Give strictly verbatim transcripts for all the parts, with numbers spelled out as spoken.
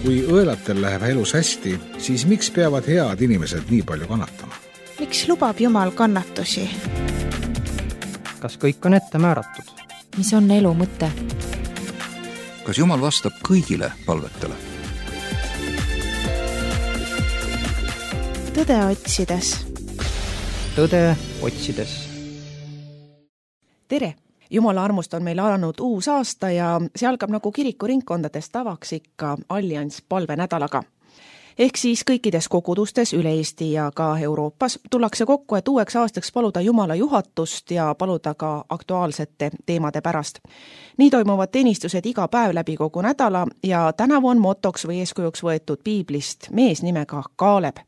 Kui õelatel läheb elus hästi, siis miks peavad head inimesed nii palju kannatama? Miks lubab Jumal kannatusi? Kas kõik on ette määratud? Mis on elu mõte? Kas Jumal vastab kõigile palvetele? Tõde otsides. Tõde otsides. Tere! Jumala armust on meil alanud uus aasta ja see algab nagu kirikuringkondades tavaks ikka Allianss palvenädalaga. Ehk siis kõikides kogudustes üle Eesti ja ka Euroopas tullakse kokku, et uueks aastaks paluda Jumala juhatust ja paluda ka aktuaalsete teemade pärast. Nii toimuvad teenistused iga päev läbi kogu nädala ja tänavu on motoks või eeskujuks võetud piiblist mees nimega Kaaleb.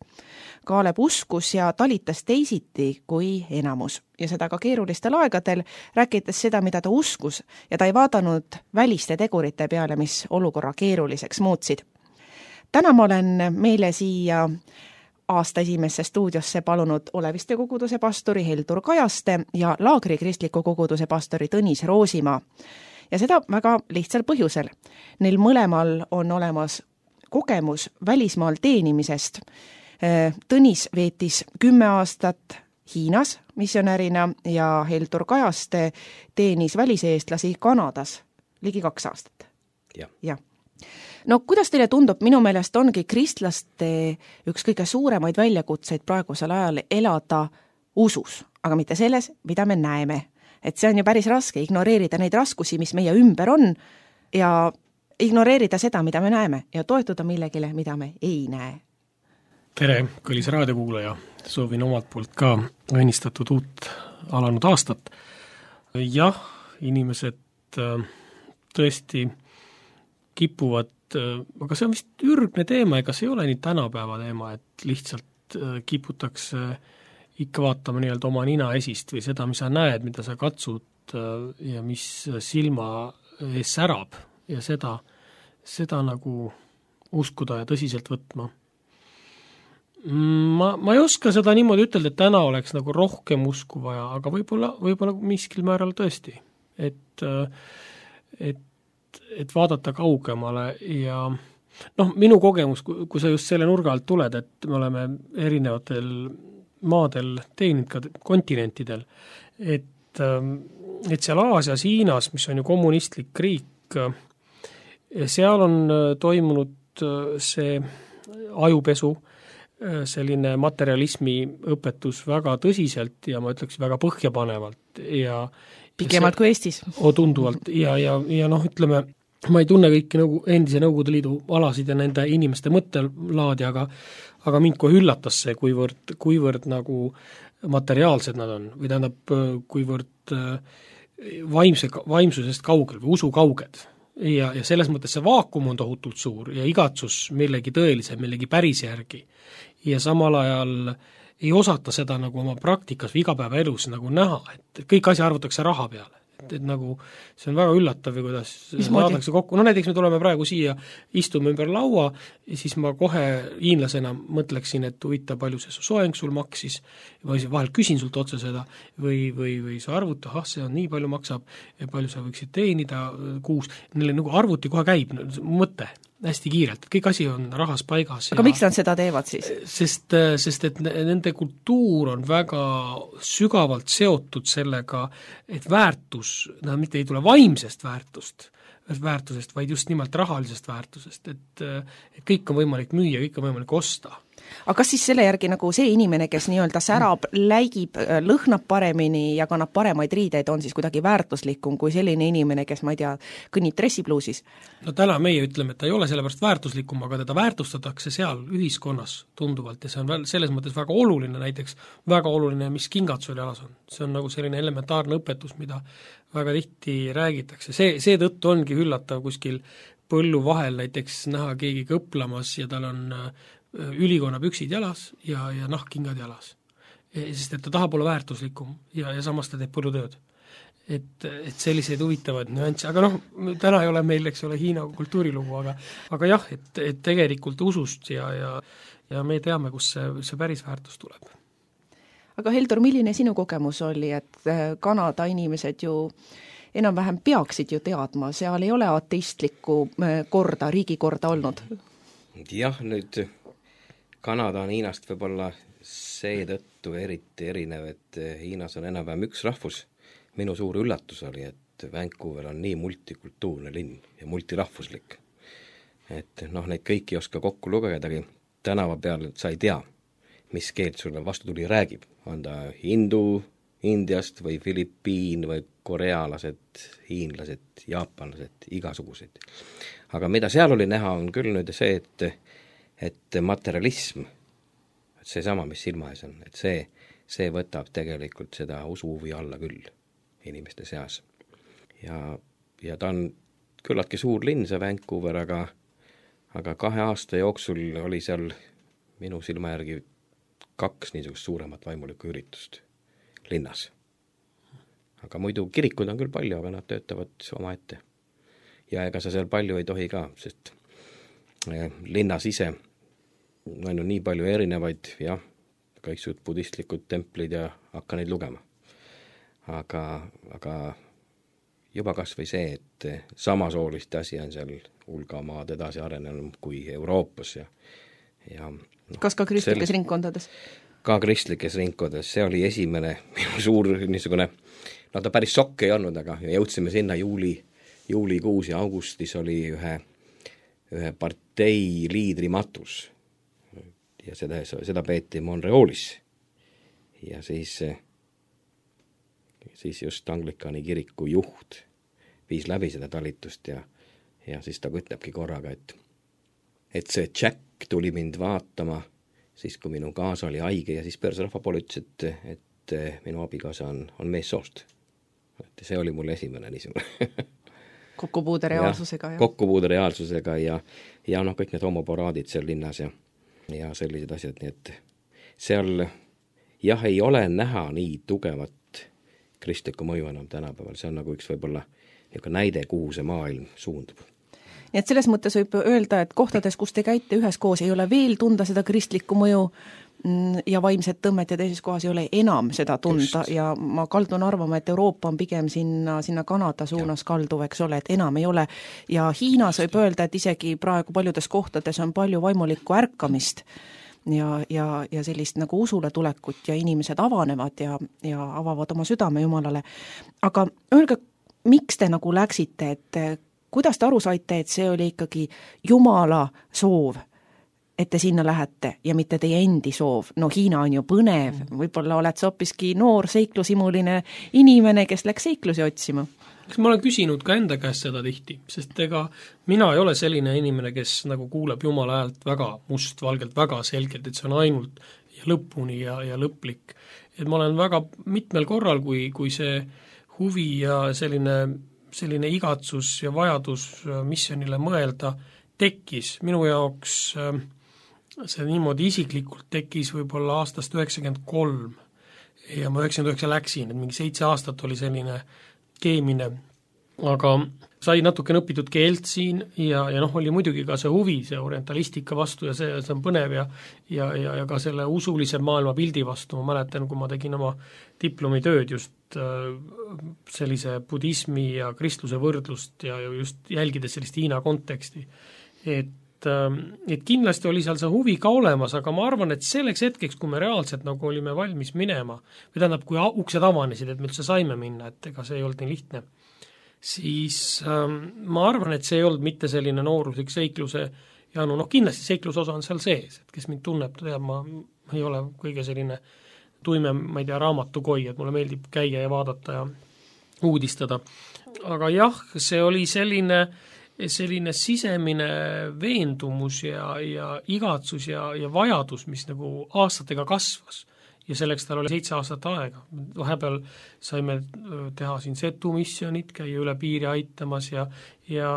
Kaaleb uskus ja talitas teisiti kui enamus. Ja seda ka keerulistel aegadel, rääkides seda, mida ta uskus, ja ta ei vaadanud väliste tegurite peale, mis olukorra keeruliseks muutsid. Täna ma olen meile siia aasta esimesse stuudiosse palunud Oleviste koguduse pastori Heldur Kajaste ja Laagri kristliku koguduse pastori Tõnis Roosimaa. Ja seda väga lihtsal põhjusel. Neil mõlemal on olemas kogemus välismaal teenimisest. Tõnis veetis kümme aastat Hiinas missionärina ja Heldur Kajaste teenis väliseestlasi Kanadas ligi kaks aastat. Ja. Ja. No kuidas teile tundub, minu meelest ongi kristlaste üks kõige suuremaid väljakutseid praegusel ajal elada usus, aga mitte selles, mida me näeme. Et see on ju päris raske ignoreerida neid raskusi, mis meie ümber on ja ignoreerida seda, mida me näeme ja toetuda millegile, mida me ei näe. Tere, kõlis raadiokuulaja. Soovin omalt poolt ka õnnistatud uut alanud aastat. Jah, inimesed tõesti kipuvad, aga see on vist ürgne teema, ega see ei ole nii tänapäeva teema, et lihtsalt kiputakse ikka vaatama nii-öelda oma nina esist või seda, mis sa näed, mida sa katsud ja mis silma ees särab ja seda, seda nagu uskuda ja tõsiselt võtma. Ma, ma ei oska seda niimoodi ütelda, et täna oleks nagu rohkem usku vaja, aga võib-olla, võib-olla miskil määral tõesti, et, et, et vaadata kaugemale ja noh, minu kogemus, kui sa just selle nurga alt tuled, et me oleme erinevatel maadel teeninud ka kontinentidel, et, et seal Aasias, Hiinas, mis on ju kommunistlik riik, seal on toimunud see ajupesu, selline materialismi õpetus väga tõsiselt ja ma ütleks väga põhjapanevalt ja pikemalt see, kui Eestis. O, tunduvalt ja, ja, ja noh, ütleme, ma ei tunne kõiki nõu, endise Nõukogude Liidu alasid ja nende inimeste mõttelaadi, aga, aga mind kohe üllatas see, kuivõrd, kuivõrd nagu materiaalsed nad on või tähendab, kuivõrd vaimse, vaimsusest kaugel või usu kauged. Ja, ja selles mõttes see vaakum on tohutult suur ja igatsus millegi tõelise, millegi päris järgi. Ja samal ajal ei osata seda nagu oma praktikas või igapäevaelus nagu näha, et kõik asi arvutakse raha peale. Et, et nagu see on väga üllatav ja kuidas vaadatakse kokku. No näiteks me tuleme praegu siia, istume ümber laua ja siis ma kohe hiinlasena mõtleksin, et huvita, palju see soeng sul maksis või vahel küsin sult otse seda või, või, või sa arvuta, ah, see on nii palju maksab ja palju sa võiksid teenida kuus. Neile nagu arvuti kohe käib mõte hästi kiirelt, et kõik asi on rahas paigas. Aga ja, miks nad seda teevad siis? Sest, sest et nende kultuur on väga sügavalt seotud sellega, et väärtus, nad mitte ei tule vaimsest väärtust, väärtusest, vaid just nimelt rahalisest väärtusest, et, et kõik on võimalik müüa, kõik on võimalik osta. Aga kas siis selle järgi nagu see inimene, kes nii-öelda särab, läigib, lõhnab paremini ja kannab paremaid riideid, on siis kuidagi väärtuslikum kui selline inimene, kes, ma ei tea, kõnnib dressipluusis? No täna meie ütleme, et ta ei ole sellepärast väärtuslikum, aga teda väärtustatakse seal ühiskonnas tunduvalt ja see on selles mõttes väga oluline, näiteks väga oluline, mis kingad sul jalas on. See on nagu selline elementaarne õpetus, mida väga tihti räägitakse. See, see tõttu ongi üllatav kuskil põllu vahel näiteks näha keegi kõplamas ja tal on ülikonna püksid jalas ja, ja nahkkingad jalas. Sest et ta tahab olla väärtuslikum ja, ja samas ta teeb põllutööd. Et, et selliseid huvitavad nüansse, aga noh, täna ei ole meil, eks ole, Hiina kultuurilugu, aga, aga jah, et, et tegelikult usust ja, ja, ja me teame, kus see, see päris väärtus tuleb. Aga Heldur, milline sinu kogemus oli, et Kanada inimesed ju enam-vähem peaksid ju teadma, seal ei ole ateistlikku korda, riigikorda olnud? jah, nüüd Kanada on Hiinast võib-olla seetõttu eriti erinev, et Hiinas on enam-vähem üks rahvus. Minu suur üllatus oli, et Vancouver on nii multikultuurne linn ja multirahvuslik. Et noh, neid kõiki ei oska kokku lugedagi. Tänava peal sa ei tea, mis keelt sulle vastu tuli räägib. On ta hindu Indiast või Filipiin või korealased, hiinlased, jaapanlased, igasugused. Aga mida seal oli näha, on küll nüüd see, et, et materialism, et see sama, mis silma ees on, et see, see võtab tegelikult seda usuhuvi alla küll inimeste seas. Ja, ja ta on küllaltki suur linn, see Vancouver, aga, aga kahe aasta jooksul oli seal minu silma järgi kaks niisugust suuremat vaimulikku üritust linnas. Aga muidu kirikud on küll palju, aga nad töötavad oma ette. Ja ega sa seal palju ei tohi ka, sest linnas ise on nii palju erinevaid, jah, kõiksud budistlikud templid ja hakka neid lugema. Aga, aga juba kas või see, et samasooliste asi on seal hulgamaad edasi arenenud kui Euroopas. Ja, ja, no, kas ka kristlikes sel... ringkondades? Ka kristlikes ringkondades, see oli esimene minu suur niisugune, no ta päris sokk ei olnud, aga jõudsime sinna juuli, juulikuus ja augustis oli ühe, ühe partei liidri matus ja seda, seda peeti Montrealis ja siis, siis just Anglikani kiriku juht viis läbi seda talitust ja, ja siis ta ütlebki korraga, et, et see Jack tuli mind vaatama siis kui minu kaasa oli haige ja siis persrahva poole ütles, et, et minu abikaasa on, on meessoost. Et see oli mul esimene niisugune kokkupuude reaalsusega. Ja, kokkupuude reaalsusega ja, ja noh, kõik need homoporaadid seal linnas ja, ja sellised asjad, nii et seal jah, ei ole näha nii tugevat kristlikku mõju enam tänapäeval, see on nagu üks võib-olla näide, kuhu see maailm suundub. Nii et selles mõttes võib öelda, et kohtades, kus te käite üheskoos, ei ole veel tunda seda kristlikku mõju ja vaimset tõmmet ja teises kohas ei ole enam seda tunda. Just. Ja ma kaldun arvama, et Euroopa on pigem sinna, sinna Kanada suunas ja. Kalduv, eks ole, et enam ei ole. Ja Hiinas võib öelda, et isegi praegu paljudes kohtades on palju vaimulikku ärkamist ja, ja, ja sellist nagu usule tulekut ja inimesed avanevad ja, ja avavad oma südame Jumalale. Aga öelge, miks te nagu läksite, et kuidas te aru saite, et see oli ikkagi Jumala soov, et te sinna lähete ja mitte teie endi soov? No Hiina on ju põnev, võib-olla oled sa hoopiski noor seiklusimuline inimene, kes läks seiklusi otsima. Eks ma olen küsinud ka enda käest seda tihti, sest ega mina ei ole selline inimene, kes nagu kuuleb Jumala häält väga mustvalgelt, väga selgelt, et see on ainult ja lõpuni ja, ja lõplik. Et ma olen väga mitmel korral, kui, kui see huvi ja selline selline igatsus ja vajadus missionile mõelda tekkis. Minu jaoks see niimoodi isiklikult tekkis võib-olla aastast üheksakümmend kolm ja ma üheksakümmend üheksa läksin, et mingi seitse aastat oli selline keemine, aga sai natuke õpitud keelt siin ja, ja noh, oli muidugi ka see huvi, see orientalistika vastu ja see, see on põnev ja, ja, ja, ja ka selle usulise maailma pildi vastu. Ma mäletan, kui ma tegin oma diplomitööd just sellise budismi ja kristluse võrdlust ja just jälgides sellist Hiina konteksti. Et, et kindlasti oli seal see huvi ka olemas, aga ma arvan, et selleks hetkeks, kui me reaalselt nagu olime valmis minema, või tähendab, kui uksed avanesid, et me üldse saime minna, et ega see ei olnud nii lihtne, siis ähm, ma arvan, et see ei olnud mitte selline nooruslik seikluse ja no, noh, kindlasti seikluse osa on seal sees, et kes mind tunneb, teab, ma ei ole kõige selline tuime, ma ei tea, raamatukoi, et mulle meeldib käia ja vaadata ja uudistada. Aga jah, see oli selline, selline sisemine veendumus ja, ja igatsus ja, ja vajadus, mis nagu aastatega kasvas. Ja selleks tal oli seitse aastat aega. Vahepeal saime teha siin setu missionit, käia üle piiri aitamas ja, ja,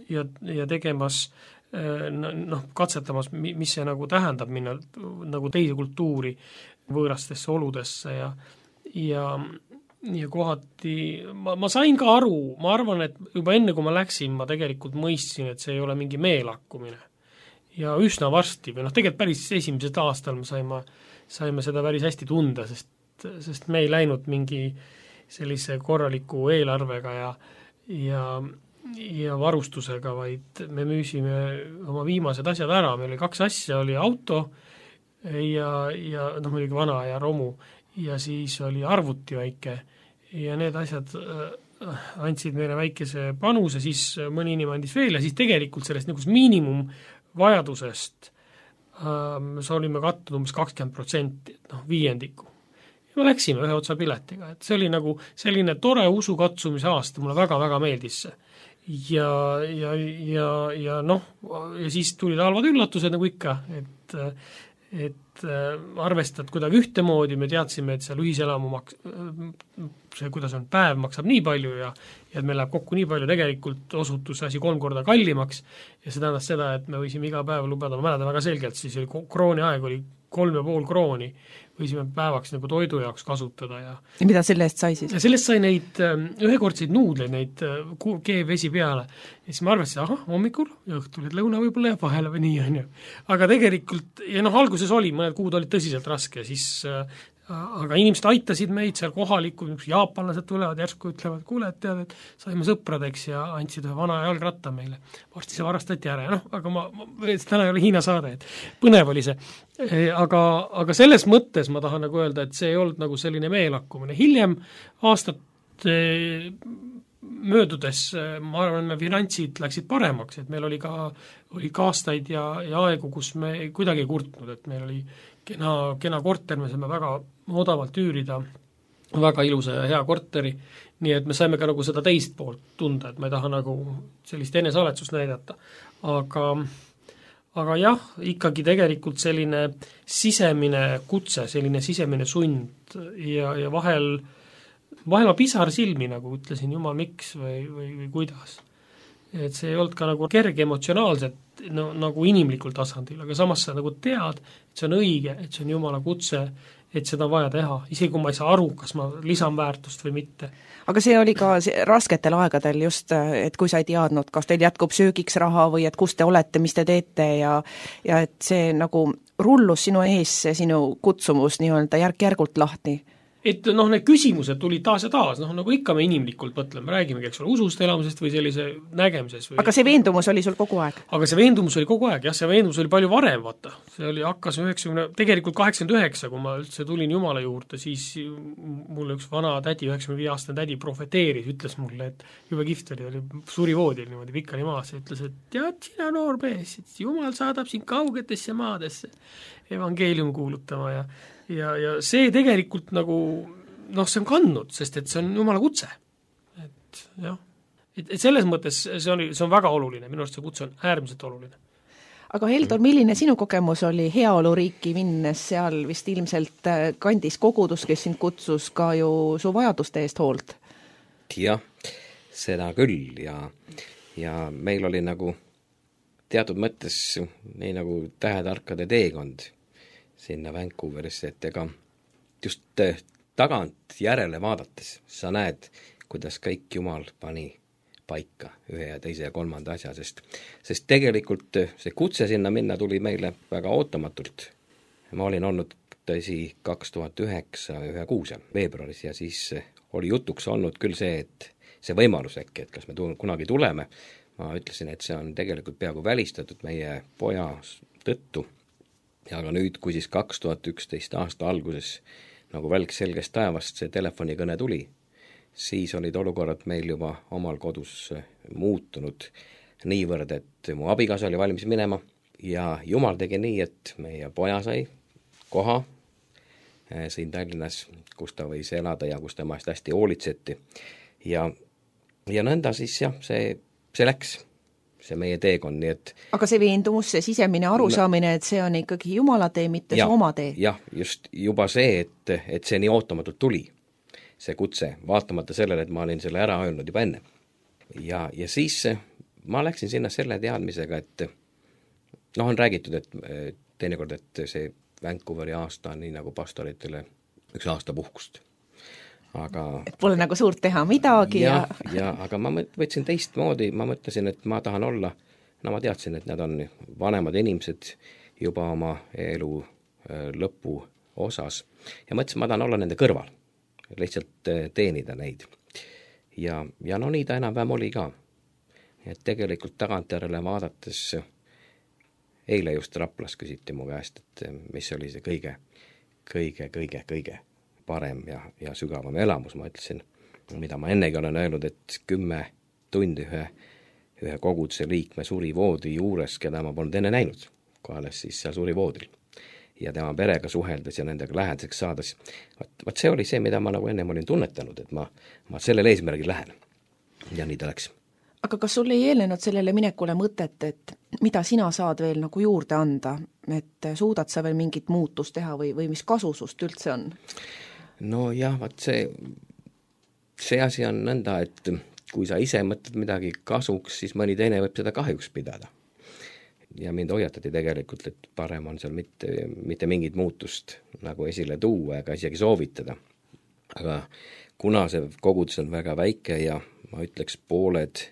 ja, ja tegemas noh, katsetamas, mis see nagu tähendab minna nagu teise kultuuri võõrastesse oludesse ja, ja, ja kohati ma, ma sain ka aru, ma arvan, et juba enne kui ma läksin, ma tegelikult mõistsin, et see ei ole mingi meelakkumine. Ja üsna varsti, või noh, tegelikult päris esimesed aastal me saime, saime seda päris hästi tunda, sest, sest me ei läinud mingi sellise korraliku eelarvega ja, ja ja varustusega, vaid me müüsime oma viimased asjad ära, meil oli kaks asja, oli auto ja, ja noh, muidugi vana ja romu ja siis oli arvuti väike ja need asjad äh, andsid meile väikese panuse, siis mõni inimene andis veel ja siis tegelikult sellest nagu miinimumvajadusest äh, me olime kattud umbes kakskümmend protsenti, noh viiendiku. Ja me läksime ühe otsa piletiga, et see oli nagu selline tore usukatsumise aasta, mulle väga-väga meeldis see. Ja, ja, ja, ja noh, ja siis tulid halvad üllatused nagu ikka, et, et arvestad kuidagi ühtemoodi, me teadsime, et seal ühiselamu maks-, see, kuidas on, päev maksab nii palju ja, ja et meil läheb kokku nii palju, tegelikult osutus asi kolm korda kallimaks ja see tähendas seda, et me võisime iga päev lubada, ma mäletan väga selgelt, siis oli krooni aeg oli kolm ja pool krooni, võisime päevaks nagu toidu jaoks kasutada ja ja mida selle eest sai siis? Sellest sai neid ühekordseid nuudleid, neid keevvesi peale ja siis ma arvasin, ahah, hommikul ja õhtul, et lõuna võib-olla jääb vahele või nii on ju. Aga tegelikult, ja noh, alguses oli, mõned kuud olid tõsiselt raske, siis aga inimesed aitasid meid seal kohalikud, jaapanlased tulevad, järsku ütlevad, kuule, et tead, et saime sõpradeks ja andsid ühe vana jalgratta meile. Varsti see varastati ära ja noh, aga ma, ma täna ei ole Hiina saade, et põnev oli see. Aga, aga selles mõttes ma tahan nagu öelda, et see ei olnud nagu selline meelakkumine. Hiljem aastat möödudes, ma arvan, finantsid läksid paremaks, et meil oli ka oli ka aastaid ja, ja aegu, kus me kuidagi ei kurtnud, et meil oli kena, kena korter, me saime väga odavalt üürida, väga ilusa ja hea korteri, nii et me saime ka nagu seda teist poolt tunda, et ma ei taha nagu sellist enesaletsust näidata. Aga, aga jah, ikkagi tegelikult selline sisemine kutse, selline sisemine sund ja, ja vahel, vahel ma pisar silmi, nagu ütlesin, jumal miks või, või, või kuidas. Et see ei olnud ka nagu kerge emotsionaalselt no, nagu inimlikul tasandil, aga samas sa nagu tead, et see on õige, et see on Jumala kutse, et seda on vaja teha, isegi kui ma ei saa aru, kas ma lisan väärtust või mitte. Aga see oli ka rasketel aegadel just, et kui sa ei teadnud, kas teil jätkub söögiks raha või et kus te olete, mis te teete ja, ja et see nagu rullus sinu ees, see sinu kutsumus nii-öelda järk-järgult lahti. Et noh, need küsimused tulid taas ja taas, noh nagu ikka me inimlikult mõtleme, räägimegi, eks ole, usust elamisest või sellise nägemises. Või... Aga see veendumus oli sul kogu aeg? Aga see veendumus oli kogu aeg, jah, see veendumus oli palju varem, vaata. See oli hakkas üheksakümne, tegelikult kaheksakümmend üheksa, kui ma üldse tulin Jumala juurde, siis mulle üks vana tädi, üheksakümne viie aastane tädi profeteeris, ütles mulle, et jube kihvt oli, oli suri voodil niimoodi pikali maas ja ütles, et tead sina noor mees, et Jumal saadab sind kaugetesse maadesse evangeelium kuulutama ja Ja, ja see tegelikult nagu, noh, see on kandnud, sest et see on Jumala kutse. Et jah, et, et selles mõttes see on, see on väga oluline, minu arust see kutse on äärmiselt oluline. Aga Heldor, milline sinu kogemus oli heaoluriiki minnes, seal vist ilmselt kandis kogudus, kes sind kutsus ka ju su vajaduste eest hoolt? Jah, seda küll ja, ja meil oli nagu teatud mõttes nii nagu tähetarkade teekond sinna Vancouverisse, et ega just tagant järele vaadates sa näed, kuidas kõik Jumal pani paika ühe ja teise ja kolmanda asja, sest, sest tegelikult see kutse sinna minna tuli meile väga ootamatult. Ma olin olnud tõsi kaks tuhat üheksa ühe kuuse veebruaris ja siis oli jutuks olnud küll see, et see võimalus äkki, et kas me tu- kunagi tuleme. Ma ütlesin, et see on tegelikult peaaegu välistatud meie poja tõttu. Ja aga nüüd, kui siis kaks tuhat üksteist aasta alguses nagu välk selgest taevast see telefonikõne tuli, siis olid olukorrad meil juba omal kodus muutunud niivõrd, et mu abikaasa oli valmis minema ja Jumal tegi nii, et meie poja sai koha siin Tallinnas, kus ta võis elada ja kus temast hästi hoolitseti. Ja, ja nõnda siis jah, see, see läks. See meie teekond, nii et... Aga see veendumus, see sisemine arusaamine, et see on ikkagi Jumala tee, mitte ja, see oma tee. Jah, just juba see, et, et see nii ootamatult tuli, see kutse, vaatamata sellele, et ma olin selle ära öelnud juba enne. Ja, ja siis ma läksin sinna selle teadmisega, et noh, on räägitud, et teinekord, et see Vancouveri aasta on nii nagu pastoritele üks aasta puhkust. Aga, et pole nagu suurt teha midagi ja, ja... ja aga ma võtsin teistmoodi, ma mõtlesin, et ma tahan olla, no ma teadsin, et nad on vanemad inimesed juba oma elu lõpu osas ja mõtlesin, ma tahan olla nende kõrval, lihtsalt teenida neid. Ja, ja no nii ta enam-vähem oli ka. et tegelikult tagantjärele vaadates eile just Raplas küsiti mu käest, et mis oli see kõige, kõige, kõige, kõige parem ja, ja sügavam elamus, ma ütlesin, mida ma ennegi olen öelnud, et kümme tundi ühe, ühe koguduse liikme suri voodi juures, keda ma polnud enne näinud, kui alles siis seal suri voodil. Ja tema perega suheldes ja nendega lähedaseks saades. Vaat, vaat see oli see, mida ma nagu ennem olin tunnetanud, et ma, ma sellel eesmärgil lähen. Ja nii ta läks. Aga kas sul ei eelnenud sellele minekule mõtet, et mida sina saad veel nagu juurde anda, et suudad sa veel mingit muutust teha või, või mis kasu sust üldse on? No jah, vaat see, see asi on nõnda, et kui sa ise mõtled midagi kasuks, siis mõni teine võib seda kahjuks pidada. Ja mind hoiatati tegelikult, et parem on seal mitte, mitte mingit muutust nagu esile tuua ega isegi soovitada. Aga kuna see kogudus on väga väike ja ma ütleks pooled,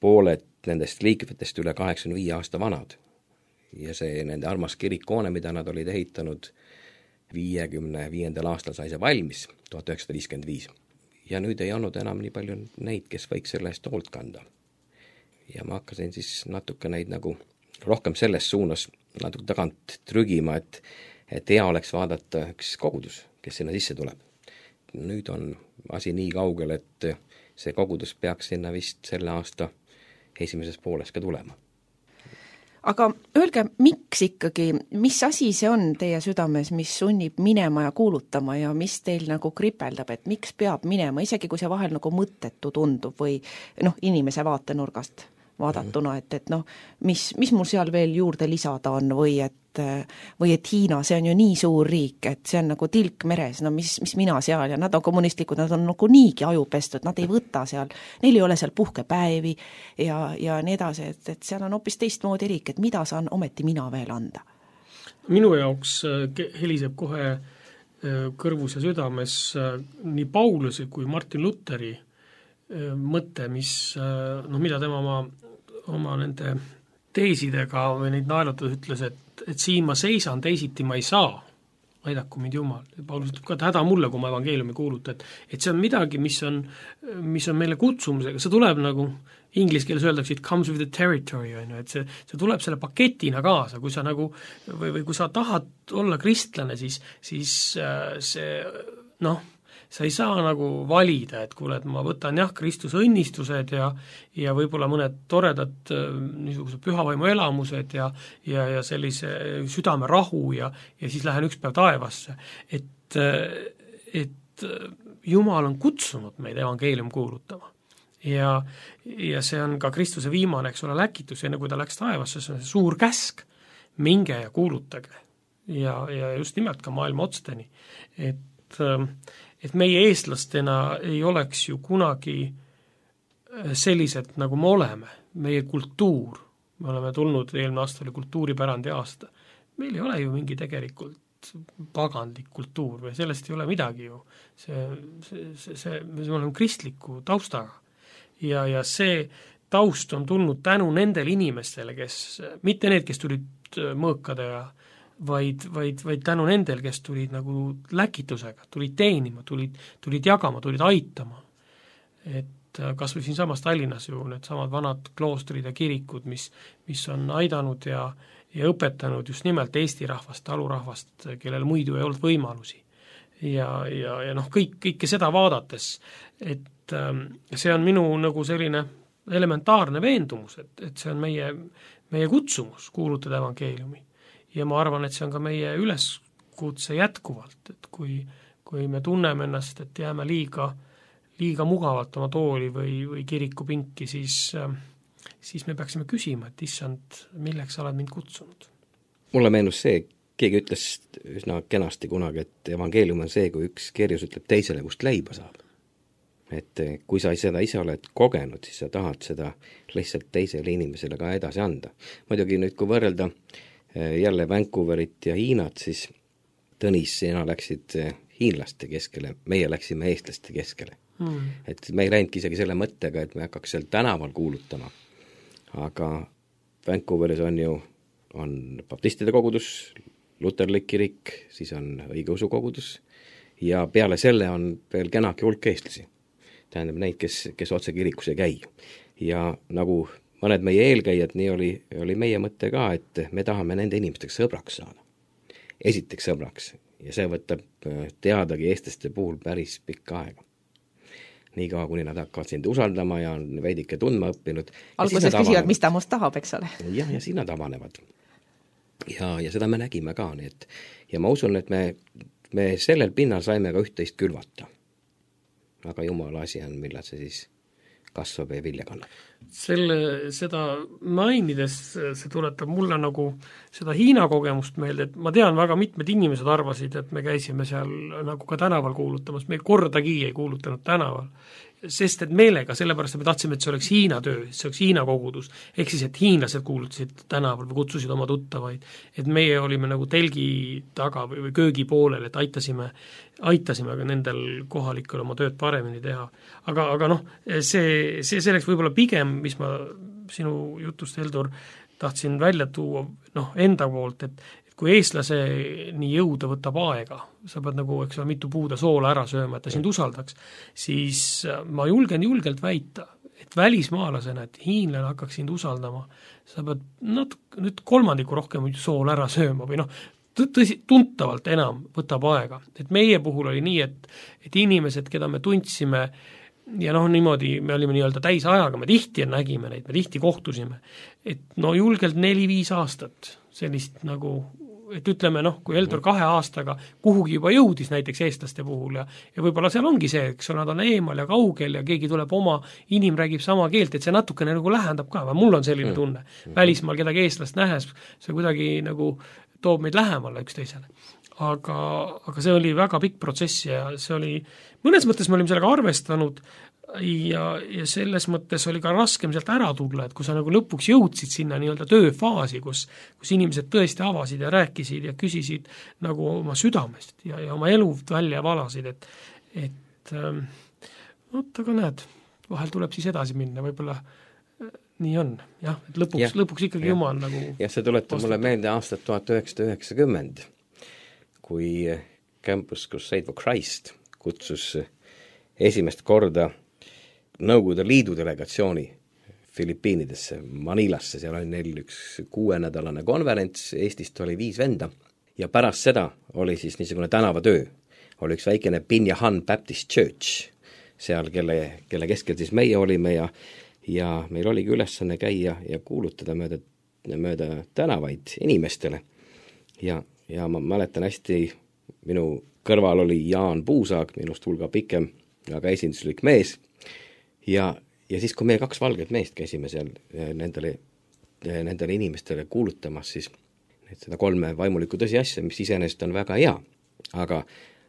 pooled nendest liikmetest üle kaheksakümne viie aasta vanad ja see nende armas kirikkoone, mida nad olid ehitanud viiekümne viiendal aastal sai see valmis, tuhat üheksasada viiskümmend viis. Ja nüüd ei olnud enam nii palju neid, kes võiks selle eest hoolt kanda. Ja ma hakkasin siis natuke neid nagu rohkem selles suunas natuke tagant trügima, et, et hea oleks vaadata üks kogudus, kes sinna sisse tuleb. Nüüd on asi nii kaugel, et see kogudus peaks sinna vist selle aasta esimeses pooles ka tulema. Aga öelge, miks ikkagi, mis asi see on teie südames, mis sunnib minema ja kuulutama ja mis teil nagu kripeldab, et miks peab minema, isegi kui see vahel nagu mõttetu tundub või noh, inimese vaatenurgast vaadatuna, et, et noh, mis, mis mul seal veel juurde lisada on või et, või et Hiina, see on ju nii suur riik, et see on nagu tilk meres, no mis, mis mina seal ja nad on kommunistlikud, nad on nagu niigi ajupestud, nad ei võta seal, neil ei ole seal puhkepäevi ja, ja nii edasi, et, et seal on hoopis teistmoodi riik, et mida saan ometi mina veel anda? Minu jaoks heliseb kohe kõrvus ja südames nii Pauluse kui Martin Lutheri mõte, mis, noh, mida tema oma, oma nende teesidega või neid naelutades ütles, et, et siin ma seisan, teisiti ma ei saa, aidaku mind Jumal. Paulus ütleb ka, et häda mulle, kui ma evangeeliumi kuulutan, et, et see on midagi, mis on, mis on meile kutsumusega, see tuleb nagu inglis keeles öeldakse, it comes with the territory, et see, see tuleb selle paketina kaasa, kui sa nagu, või, või kui sa tahad olla kristlane, siis, siis see, noh, sa ei saa nagu valida, et kuule, et ma võtan jah, Kristuse õnnistused ja, ja võib-olla mõned toredad niisugused pühavaimu elamused ja, ja, ja sellise südame rahu ja, ja siis lähen üks päev taevasse. Et, et Jumal on kutsunud meid evangeelium kuulutama. Ja, ja see on ka Kristuse viimane, eks ole, läkitus, enne kui ta läks taevasse, see on see suur käsk, minge ja kuulutage. Ja, ja just nimelt ka maailma otsteni. Et et meie eestlastena ei oleks ju kunagi sellised, nagu me oleme. Meie kultuur, me oleme tulnud, eelmine aasta oli kultuuripärandi aasta, meil ei ole ju mingi tegelikult pagandlik kultuur või sellest ei ole midagi ju. See, see, see, see, me oleme kristliku taustaga ja, ja see taust on tulnud tänu nendele inimestele, kes, mitte need, kes tulid mõõkade ja Vaid, vaid, vaid tänu nendel, kes tulid nagu läkitusega, tulid teenima, tulid, tulid jagama, tulid aitama. Et kas või siin samas Tallinnas ju need samad vanad kloostrid ja kirikud, mis, mis on aidanud ja, ja õpetanud just nimelt Eesti rahvast, talurahvast, kellel muidu ei olnud võimalusi. Ja, ja, ja noh, kõik, kõike seda vaadates, et ähm, see on minu nagu selline elementaarne veendumus, et, et see on meie, meie kutsumus kuulutada evangeeliumi. Ja ma arvan, et see on ka meie üleskutse jätkuvalt, et kui, kui me tunneme ennast, et jääme liiga, liiga mugavalt oma tooli või, või kirikupinki, siis, siis me peaksime küsima, et issand, milleks sa oled mind kutsunud? Mulle meenus see, keegi ütles üsna kenasti kunagi, et evangeelium on see, kui üks kerjus ütleb teisele, kust leiba saab. Et kui sa seda ise oled kogenud, siis sa tahad seda lihtsalt teisele inimesele ka edasi anda. Muidugi nüüd, kui võrrelda jälle Vancouverit ja Hiinat, siis Tõnis, sina läksid hiinlaste keskele, meie läksime eestlaste keskele. Mm. Et me ei läinudki isegi selle mõttega, et me hakkaks seal tänaval kuulutama. Aga Vancouveris on ju on baptistide kogudus, luterlik kirik, siis on õigeusu kogudus ja peale selle on veel kenaki hulk eestlasi. Tähendab neid, kes, kes otse kirikus ei käi. ja nagu mõned meie eelkäijad, nii oli, oli meie mõte ka, et me tahame nende inimestega sõbraks saada. Esiteks sõbraks ja see võtab teadagi eestlaste puhul päris pikka aega. Nii kaua, kuni nad hakkavad sind usaldama ja on veidike tundma õppinud. Alguses küsivad, mis ta must tahab, eks ole. Jah, ja siin nad avanevad. Ja, ja seda me nägime ka, nii et ja ma usun, et me, me sellel pinnal saime ka üht-teist külvata. Aga jumala asi on, millal see siis kasvab ja vilja kannab. Selle, seda mainides see tuletab mulle nagu seda Hiina kogemust meelde, et ma tean, väga mitmed inimesed arvasid, et me käisime seal nagu ka tänaval kuulutamas, me kordagi ei kuulutanud tänaval, sest et meelega, sellepärast, et me tahtsime, et see oleks Hiina töö, see oleks Hiina kogudus, ehk siis, et hiinlased kuulutasid tänaval või kutsusid oma tuttavaid, et meie olime nagu telgi taga või, või köögi poolel, et aitasime, aitasime ka nendel kohalikel oma tööd paremini teha. Aga, aga noh, see, see selleks võib-olla pigem, mis ma sinu jutust, Heldur, tahtsin välja tuua noh, enda poolt, et kui eestlase nii jõuda võtab aega, sa pead nagu, eks ole, mitu puuda soola ära sööma, et ta sind usaldaks, siis ma julgen julgelt väita, et välismaalasena, et hiinlane hakkaks sind usaldama, sa pead natuke, nüüd kolmandiku rohkem soola ära sööma või noh, tõsi, tuntavalt enam võtab aega. Et meie puhul oli nii, et, et inimesed, keda me tundsime ja noh, niimoodi me olime nii-öelda täis ajaga, me tihti nägime neid, me tihti kohtusime, et no julgelt neli-viis aastat sellist nagu, et ütleme noh, kui Heldur kahe aastaga kuhugi juba jõudis näiteks eestlaste puhul ja, ja võib-olla seal ongi see, eks nad on eemal ja kaugel ja keegi tuleb oma, inim räägib sama keelt, et see natukene nagu lähendab ka, mul on selline tunne. Välismaal kedagi eestlast nähes, see kuidagi nagu toob meid lähemale üksteisele. Aga, aga see oli väga pikk protsess ja see oli, mõnes mõttes me olime sellega arvestanud ja, ja selles mõttes oli ka raskem sealt ära tulla, et kui sa nagu lõpuks jõudsid sinna nii-öelda tööfaasi, kus, kus inimesed tõesti avasid ja rääkisid ja küsisid nagu oma südamest ja, ja oma elu välja valasid, et, et ähm, oot, aga näed, vahel tuleb siis edasi minna, võib-olla nii on, jah, et lõpuks, ja, lõpuks ikkagi ja. Jumal nagu jah, see tuletab mulle meelde aastat tuhat üheksasada üheksakümmend, kui Campus Crusade for Christ kutsus esimest korda Nõukogude Liidu delegatsiooni Filipiinidesse, Manilasse, seal oli neil üks kuuenädalane konverents, Eestist oli viis venda ja pärast seda oli siis niisugune tänavatöö, oli üks väikene Binyahan Baptist Church, seal kelle, kelle keskel siis meie olime ja ja meil oligi ülesanne käia ja kuulutada mööda, mööda tänavaid inimestele. Ja, ja ma mäletan hästi, minu kõrval oli Jaan Puusaag, minust hulga pikem, aga esinduslik mees. Ja, ja siis, kui meie kaks valget meest käisime seal nendele, nendele inimestele kuulutamas, siis seda kolme vaimulikku tõsiasja, mis iseenesest on väga hea, aga,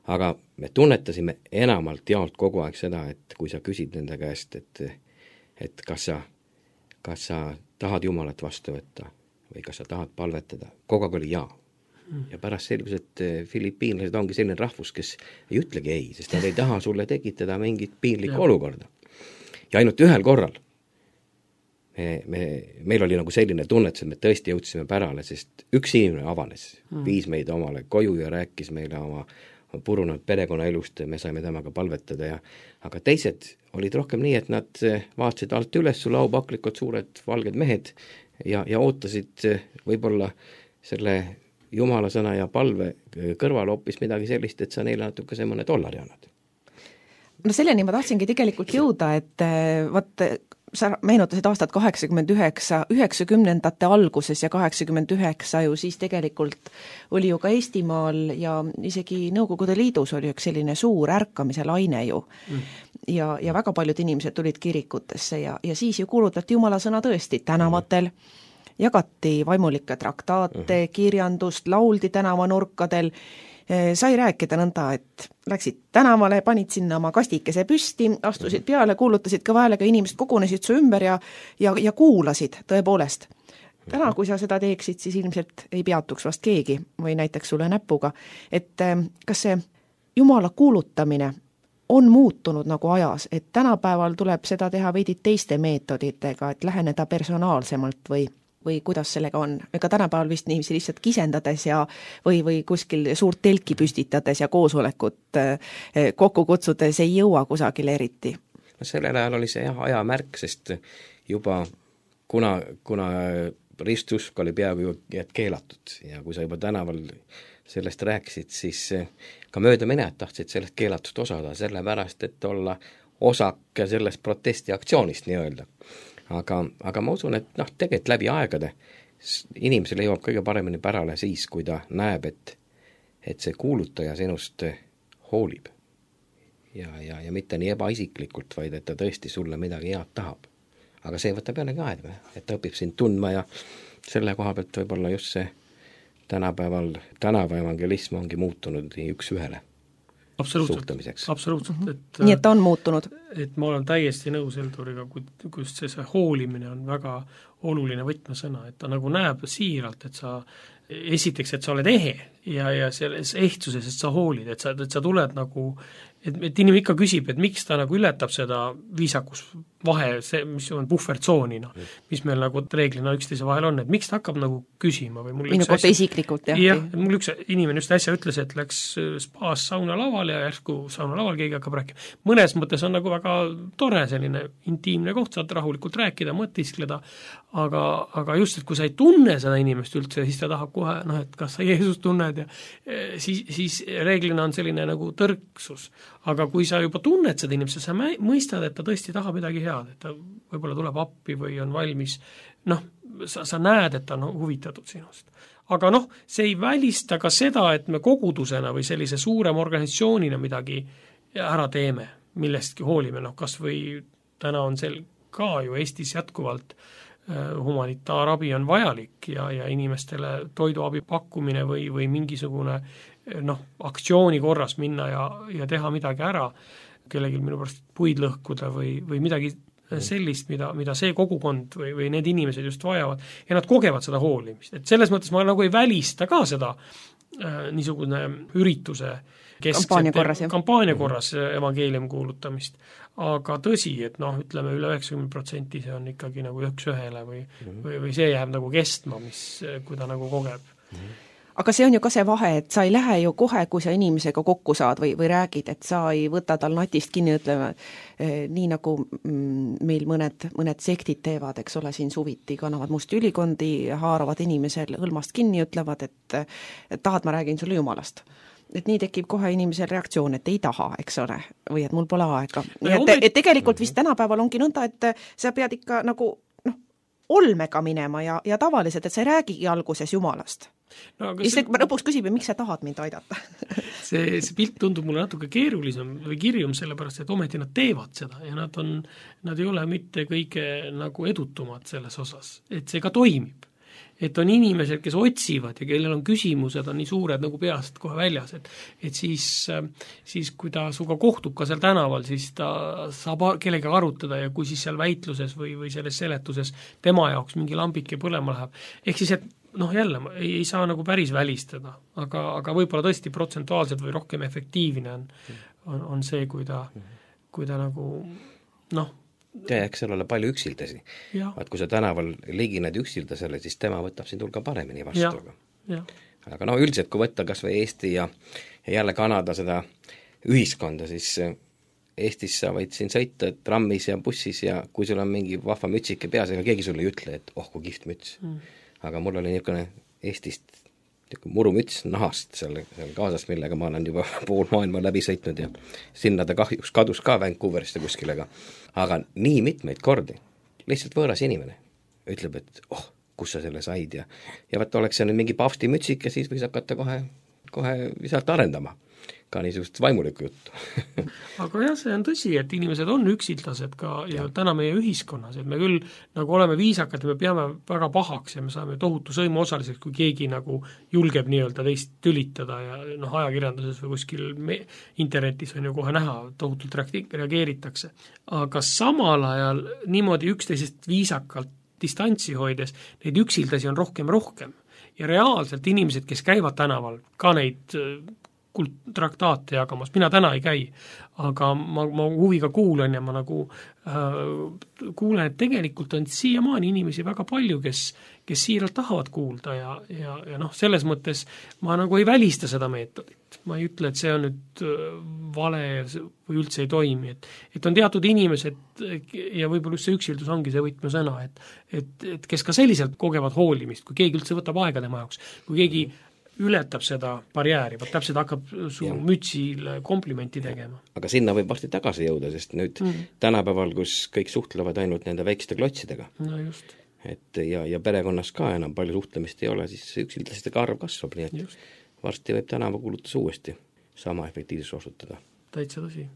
aga me tunnetasime enamalt jaolt kogu aeg seda, et kui sa küsid nende käest, et et kas sa, kas sa tahad Jumalat vastu võtta või kas sa tahad palvetada, kogu aeg oli jaa. Ja pärast selgus, et filipiinlased ongi selline rahvus, kes ei ütlegi ei, sest nad ei taha sulle tekitada mingit piinlikku olukorda. Ja ainult ühel korral me, me, meil oli nagu selline tunnetus, et me tõesti jõudsime pärale, sest üks inimene avanes, mm. viis meid omale koju ja rääkis meile oma purunud perekonnaelust, me saime temaga palvetada ja aga teised olid rohkem nii, et nad vaatasid alt üles su laupaklikud suured valged mehed ja, ja ootasid võib-olla selle Jumala sõna ja palve kõrval hoopis midagi sellist, et sa neile natuke see mõne dollari annad. No selleni ma tahtsingi tegelikult jõuda, et vaat sa meenutasid aastat kaheksakümmend üheksa, üheksakümnendate alguses ja kaheksakümmend üheksa ju siis tegelikult oli ju ka Eestimaal ja isegi Nõukogude Liidus oli üks selline suur ärkamise laine ju. Mm. Ja, ja väga paljud inimesed tulid kirikutesse ja, ja siis ju kuulutati Jumala sõna tõesti tänavatel, jagati vaimulikke traktaate, mm. kirjandust, lauldi tänavanurkadel, sai rääkida nõnda, et läksid tänavale, panid sinna oma kastikese püsti, astusid peale, kuulutasid kõva häälega, inimesed kogunesid su ümber ja, ja, ja kuulasid tõepoolest. Täna, kui sa seda teeksid, siis ilmselt ei peatuks vast keegi või näiteks sulle näpuga. Et kas see Jumala kuulutamine on muutunud nagu ajas, et tänapäeval tuleb seda teha veidi teiste meetoditega, et läheneda personaalsemalt või või kuidas sellega on? Ega tänapäeval vist niiviisi lihtsalt kisendades ja või, või kuskil suurt telki püstitades ja koosolekut kokku kutsudes ei jõua kusagile eriti? No sellel ajal oli see jah, ajamärk, sest juba kuna, kuna ristusk oli peaaegu keelatud ja kui sa juba tänaval sellest rääkisid, siis ka möödaminejad tahtsid sellest keelatust osada, sellepärast, et olla osak sellest protestiaktsioonist nii-öelda. Aga, aga ma usun, et noh, tegelikult läbi aegade inimesele jõuab kõige paremini pärale siis, kui ta näeb, et, et see kuulutaja sinust hoolib. Ja, ja, ja mitte nii ebaisiklikult, vaid et ta tõesti sulle midagi head tahab. Aga see võtab jällegi aega, et ta õpib sind tundma ja selle koha pealt võib-olla just see tänapäeval, tänava evangelism ongi muutunud nii üks ühele suhtlemiseks. Absoluutselt. Et, nii et ta on muutunud. Et ma olen täiesti nõus Eldoriga, kus see, see hoolimine on väga oluline võtmesõna, et ta nagu näeb siiralt, et sa esiteks, et sa oled ehe ja, ja selles ehtsuses, et sa hoolid, et sa, et sa tuled nagu, et, et inimene ikka küsib, et miks ta nagu ületab seda viisakus vahe, see, mis on puhvertsoonina, mis meil nagu reeglina üksteise vahel on, et miks ta hakkab nagu küsima või mul minu kohta isiklikult, jah. jah, et mul üks inimene just äsja ütles, et läks spaas sauna laval ja järsku sauna laval keegi hakkab rääkima. Mõnes mõttes on nagu väga tore selline intiimne koht, saad rahulikult rääkida, mõtiskleda, aga, aga just, et kui sa ei tunne seda inimest üldse, siis ta tahab kohe, noh, et kas sa Jeesus tunned ja siis, siis reeglina on selline nagu tõrksus. Aga kui sa juba tunned seda inimest, sa mõistad, et ta tõesti tahab midagi head, et ta võib-olla tuleb appi või on valmis, noh, sa, sa näed, et ta on huvitatud sinust. Aga noh, see ei välista ka seda, et me kogudusena või sellise suurema organisatsioonina midagi ära teeme, millestki hoolime, noh, kas või täna on sel ka ju Eestis jätkuvalt humanitaarabi on vajalik ja, ja inimestele toiduabi pakkumine või, või mingisugune noh, aktsiooni korras minna ja, ja teha midagi ära, kellelgi minu pärast puid lõhkuda või, või midagi sellist, mida, mida see kogukond või, või need inimesed just vajavad ja nad kogevad seda hoolimist. Et selles mõttes ma nagu ei välista ka seda äh, niisugune ürituse kampaania korras, kampaania korras evangeelium kuulutamist. Aga tõsi, et noh, ütleme üle üheksakümmend protsenti see on ikkagi nagu üks ühele või, või, või see jääb nagu kestma, mis, kui ta nagu kogeb. Aga see on ju ka see vahe, et sa ei lähe ju kohe, kui sa inimesega kokku saad või, või räägid, et sa ei võta tal natist kinni, ütleme, nii nagu meil mõned, mõned sektid teevad, eks ole, siin suviti kannavad musti ülikondi, haaravad inimesel hõlmast kinni, ütlevad, et, et tahad, ma räägin sulle Jumalast. Et nii tekib kohe inimesel reaktsioon, et ei taha, eks ole, või et mul pole aega. No, et, et tegelikult vist tänapäeval ongi nõnda, et sa pead ikka nagu noh, olmega minema ja, ja tavaliselt, et sa ei räägigi alguses Jumalast. No, ja see, lõpuks küsib, miks sa tahad mind aidata? see, see pilt tundub mulle natuke keerulisem või kirjum, sellepärast, et ometi nad teevad seda ja nad, on, nad ei ole mitte kõige nagu edutumad selles osas, et see ka toimib. Et on inimesed, kes otsivad ja kellel on küsimused, on nii suured nagu peast kohe väljas, et, et siis, siis kui ta suga kohtub ka seal tänaval, siis ta saab kellega arutada ja kui siis seal väitluses või, või selles seletuses tema jaoks mingi lambike põlema läheb. Ehk siis, et noh jälle, ei, ei saa nagu päris välistada, aga, aga võib-olla tõesti protsentuaalselt või rohkem efektiivne on, on, on see, kui ta, kui ta nagu noh, ja eks seal ole palju üksildasi. Vaat kui sa tänaval ligined üksildasele, siis tema võtab sind hulga paremini vastu. Ja, ja. Aga no üldiselt, kui võtta kas või Eesti ja, ja jälle Kanada seda ühiskonda, siis Eestis sa võid siin sõita trammis ja bussis ja kui sul on mingi vahva mütsike peas, ega keegi sulle ei ütle, et oh, kui kihvt müts. Mm. Aga mul oli niisugune Eestist murumüts nahast seal, seal kaasas, millega ma olen juba pool maailma läbi sõitnud ja sinna ta kahjuks kadus ka Vancouverist ja kuskilega. Aga nii mitmeid kordi, lihtsalt võõras inimene ütleb, et oh, kus sa selle said ja, ja võtta oleks see nüüd mingi paavsti mütsik ja siis võis hakata kohe, kohe visalt arendama ka niisugust vaimulikku juttu. Aga jah, see on tõsi, et inimesed on üksildased ka ja, ja täna meie ühiskonnas, et me küll nagu oleme viisakad ja me peame väga pahaks ja me saame tohutu sõimu osaliseks, kui keegi nagu julgeb nii-öelda teist tülitada ja noh, ajakirjanduses või kuskil me, internetis on ju kohe näha, tohutult reageeritakse. Aga samal ajal niimoodi üksteisest viisakalt distantsi hoides, neid üksildasi on rohkem rohkem ja reaalselt inimesed, kes käivad tänaval, ka neid kult-, traktaate jagamas, mina täna ei käi, aga ma, ma huviga kuulen ja ma nagu äh, kuulen, et tegelikult on siiamaani inimesi väga palju, kes, kes siiralt tahavad kuulda ja, ja, ja noh, selles mõttes ma nagu ei välista seda meetodit. Ma ei ütle, et see on nüüd vale või üldse ei toimi, et, et on teatud inimesed ja võib-olla just see üksildus ongi see võtmesõna, et, et, et kes ka selliselt kogevad hoolimist, kui keegi üldse võtab aega tema jaoks, kui keegi ületab seda barjääri, vaat täpselt hakkab su ja. mütsil komplimenti tegema. Aga sinna võib varsti tagasi jõuda, sest nüüd mm. tänapäeval, kus kõik suhtlevad ainult nende väikeste klotsidega, no just. Et ja, ja perekonnas ka enam palju suhtlemist ei ole, siis üksildastega arv kasvab, nii et just. Varsti võib tänava kulutus uuesti sama efektiivsus osutada. Täitsa tõsi.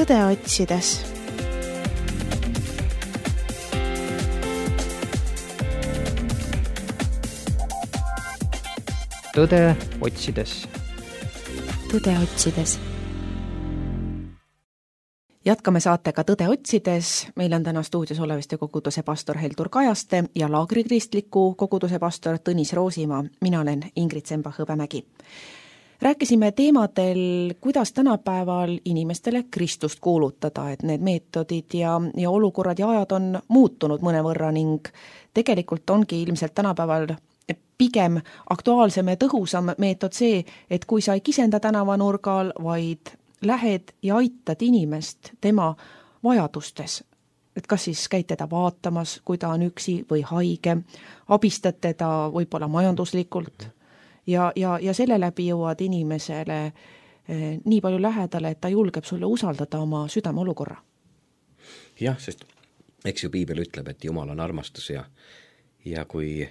tõde otsides. tõde otsides. tõde otsides. Jätkame saatega Tõde otsides. Meil on täna stuudios Oleviste koguduse pastor Heldur Kajaste ja Laagri kristliku koguduse pastor Tõnis Roosimaa. Mina olen Ingrid Semba-Hõbemägi. Rääkisime teemadel, kuidas tänapäeval inimestele Kristust kuulutada, et need meetodid ja, ja olukorrad ja ajad on muutunud mõnevõrra ning tegelikult ongi ilmselt tänapäeval pigem aktuaalsem ja tõhusam meetod see, et kui sa ei kisenda tänavanurgal, vaid lähed ja aitad inimest tema vajadustes, et kas siis käid teda vaatamas, kui ta on üksi või haige, abistad teda võib-olla majanduslikult ja, ja, ja selle läbi jõuad inimesele nii palju lähedale, et ta julgeb sulle usaldada oma südame olukorra. jah, sest eks ju piibel ütleb, et Jumal on armastus ja ja kui,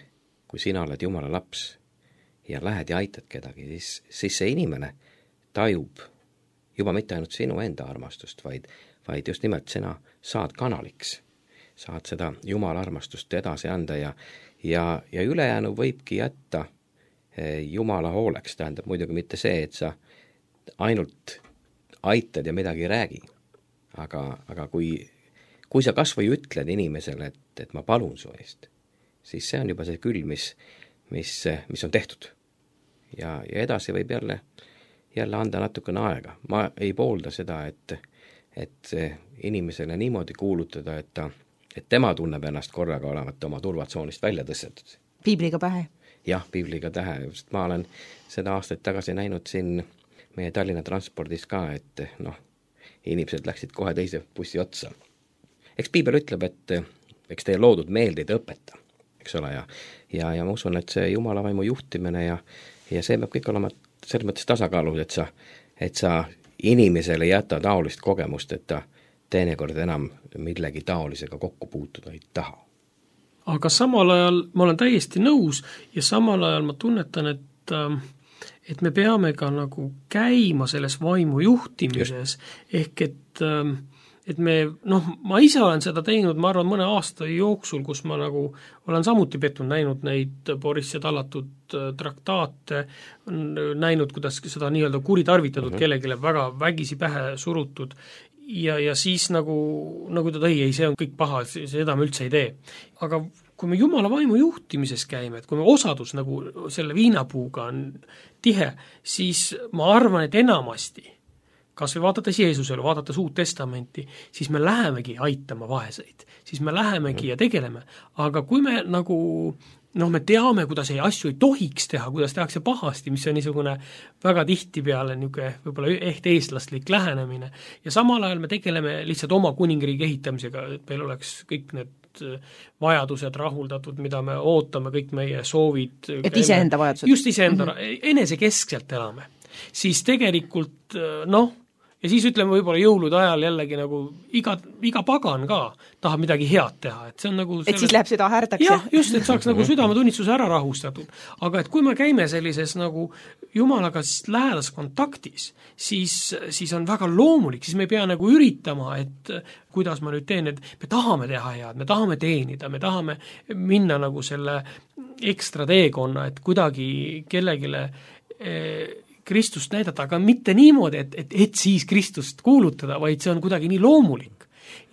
kui sina oled Jumala laps ja lähed ja aitad kedagi, siis, siis see inimene tajub juba mitte ainult sinu enda armastust, vaid, vaid just nimelt sina saad kanaliks, saad seda Jumala armastust edasi anda ja, ja, ja ülejäänu võibki jätta Jumala hooleks, tähendab muidugi mitte see, et sa ainult aitad ja midagi ei räägi, aga, aga kui, kui sa kas või ütled inimesele, et, et ma palun su eest, siis see on juba see küll, mis, mis, mis on tehtud. Ja, ja edasi võib jälle, jälle anda natukene aega. Ma ei poolda seda, et, et inimesele niimoodi kuulutada, et, ta, et tema tunneb ennast korraga olevat oma turvatsoonist välja tõstetud. Piibliga pähe? Jah, piibliga tähe, sest ma olen seda aastaid tagasi näinud siin meie Tallinna transpordis ka, et noh, inimesed läksid kohe teise bussi otsa. Eks piibel ütleb, et eks teie loodud meeldeid õpeta, eks ole, ja, ja, ja ma usun, et see Jumala vaimu juhtimine ja, ja see peab kõik olema selles mõttes tasakaalus, et sa, et sa inimesele jäta taolist kogemust, et ta teinekord enam millegi taolisega kokku puutuda ei taha. Aga samal ajal ma olen täiesti nõus ja samal ajal ma tunnetan, et, et me peame ka nagu käima selles vaimu juhtimises, Just. ehk et, et me, noh, ma ise olen seda teinud, ma arvan, mõne aasta jooksul, kus ma nagu olen samuti pettunud, näinud neid Boris ja tallatud traktaate, näinud, kuidas seda nii-öelda kuritarvitatud mm-hmm. kellegile väga vägisi pähe surutud ja, ja siis nagu, nagu ta tõi, ei, see on kõik paha, seda me üldse ei tee. Aga kui me Jumala vaimu juhtimises käime, et kui me osadus nagu selle viinapuuga on tihe, siis ma arvan, et enamasti, kas või vaadates Jeesusele, vaadates Uut Testamenti, siis me lähemegi aitama vaeseid, siis me lähemegi ja tegeleme. Aga kui me nagu noh, me teame, kuidas ei asju ei tohiks teha, kuidas tehakse pahasti, mis on niisugune väga tihti peale niisugune võib-olla ehk eestlastlik lähenemine. Ja samal ajal me tegeleme lihtsalt oma kuningriigi ehitamisega, et meil oleks kõik need vajadused rahuldatud, mida me ootame, kõik meie soovid. Et iseenda vajadused. Just iseenda, mm-hmm. enesekeskselt elame. Siis tegelikult, noh, ja siis ütleme võib-olla jõulude ajal jällegi nagu iga, iga pagan ka tahab midagi head teha. Et, see on nagu et selles... siis läheb süda härdaks. Jah, just, et saaks nagu südametunnistuse ära rahustatud. Aga et kui me käime sellises nagu Jumalaga lähedas kontaktis, siis, siis on väga loomulik, siis me ei pea nagu üritama, et kuidas ma nüüd teen, et me tahame teha head, me tahame teenida, me tahame minna nagu selle ekstra teekonna, et kuidagi kellegile eh, Kristust näidata, aga mitte niimoodi, et, et, et siis Kristust kuulutada, vaid see on kuidagi nii loomulik.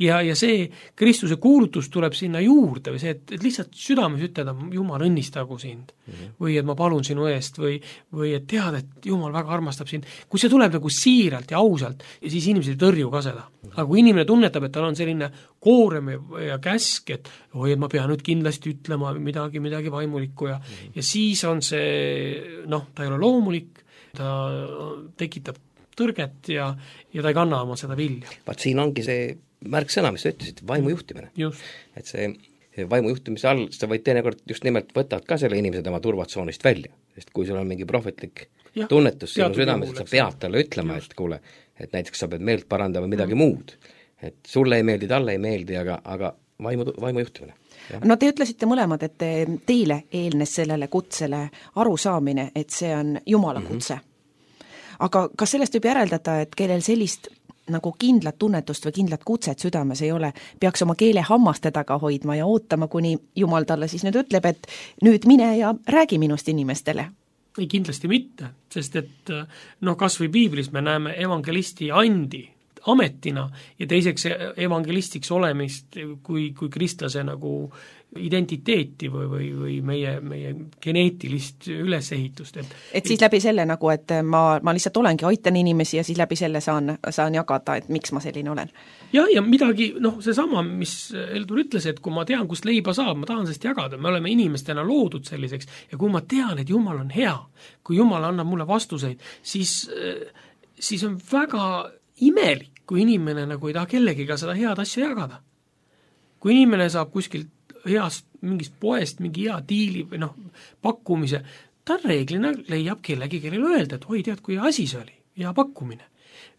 Ja, ja see Kristuse kuulutus tuleb sinna juurde või see, et, et lihtsalt südames ütelda, Jumal õnnistagu sind mm-hmm. või et ma palun sinu eest või, või et tead, et Jumal väga armastab sind. Kui see tuleb nagu siiralt ja ausalt, ja siis inimesed ei tõrju ka seda. Aga kui inimene tunnetab, et tal on selline koorem ja käsk, et oi, et ma pean nüüd kindlasti ütlema midagi, midagi vaimulikku ja, mm-hmm. ja siis on see, noh, ta ei ole loomulik, ta tekitab tõrget ja, ja ta ei kanna oma seda vilja. Vaat siin ongi see märksõna, mis sa ütlesid, vaimu juhtimine. Just. Et see vaimu juhtimise all, sa võid teinekord just nimelt võtad ka selle inimese tema turvatsoonist välja, sest kui sul on mingi prohvetlik ja, tunnetus sinu südames, et sa pead talle ütlema, just. et kuule, et näiteks sa pead meelt parandama midagi mm. muud, et sulle ei meeldi, talle ei meeldi, aga, aga vaimu, vaimu juhtimine. Ja. No te ütlesite mõlemad, et teile eelnes sellele kutsele arusaamine, et see on Jumala kutse. Mm-hmm. Aga kas sellest võib järeldada, et kellel sellist nagu kindlat tunnetust või kindlat kutset südames ei ole, peaks oma keele hammaste taga hoidma ja ootama, kuni Jumal talle siis nüüd ütleb, et nüüd mine ja räägi minust inimestele? Ei, kindlasti mitte, sest et noh, kas või piiblis me näeme evangelisti andi ametina ja teiseks evangelistiks olemist kui, kui kristlase nagu identiteeti või, või, või meie, meie geneetilist ülesehitust. Et, et siis läbi selle nagu, et ma, ma lihtsalt olengi, aitan inimesi ja siis läbi selle saan, saan jagada, et miks ma selline olen. Ja, ja midagi, noh, see sama, mis Eldur ütles, et kui ma tean, kust leiba saab, ma tahan sellest jagada, me oleme inimestena loodud selliseks ja kui ma tean, et Jumal on hea, kui Jumal annab mulle vastuseid, siis, siis on väga imelik, kui inimene nagu ei taha kellegiga seda head asja jagada. Kui inimene saab kuskilt heast mingist poest mingi hea diili või noh, pakkumise, ta reeglina leiab kellegi, kellele öelda, et oi, tead, kui asi see oli, hea pakkumine.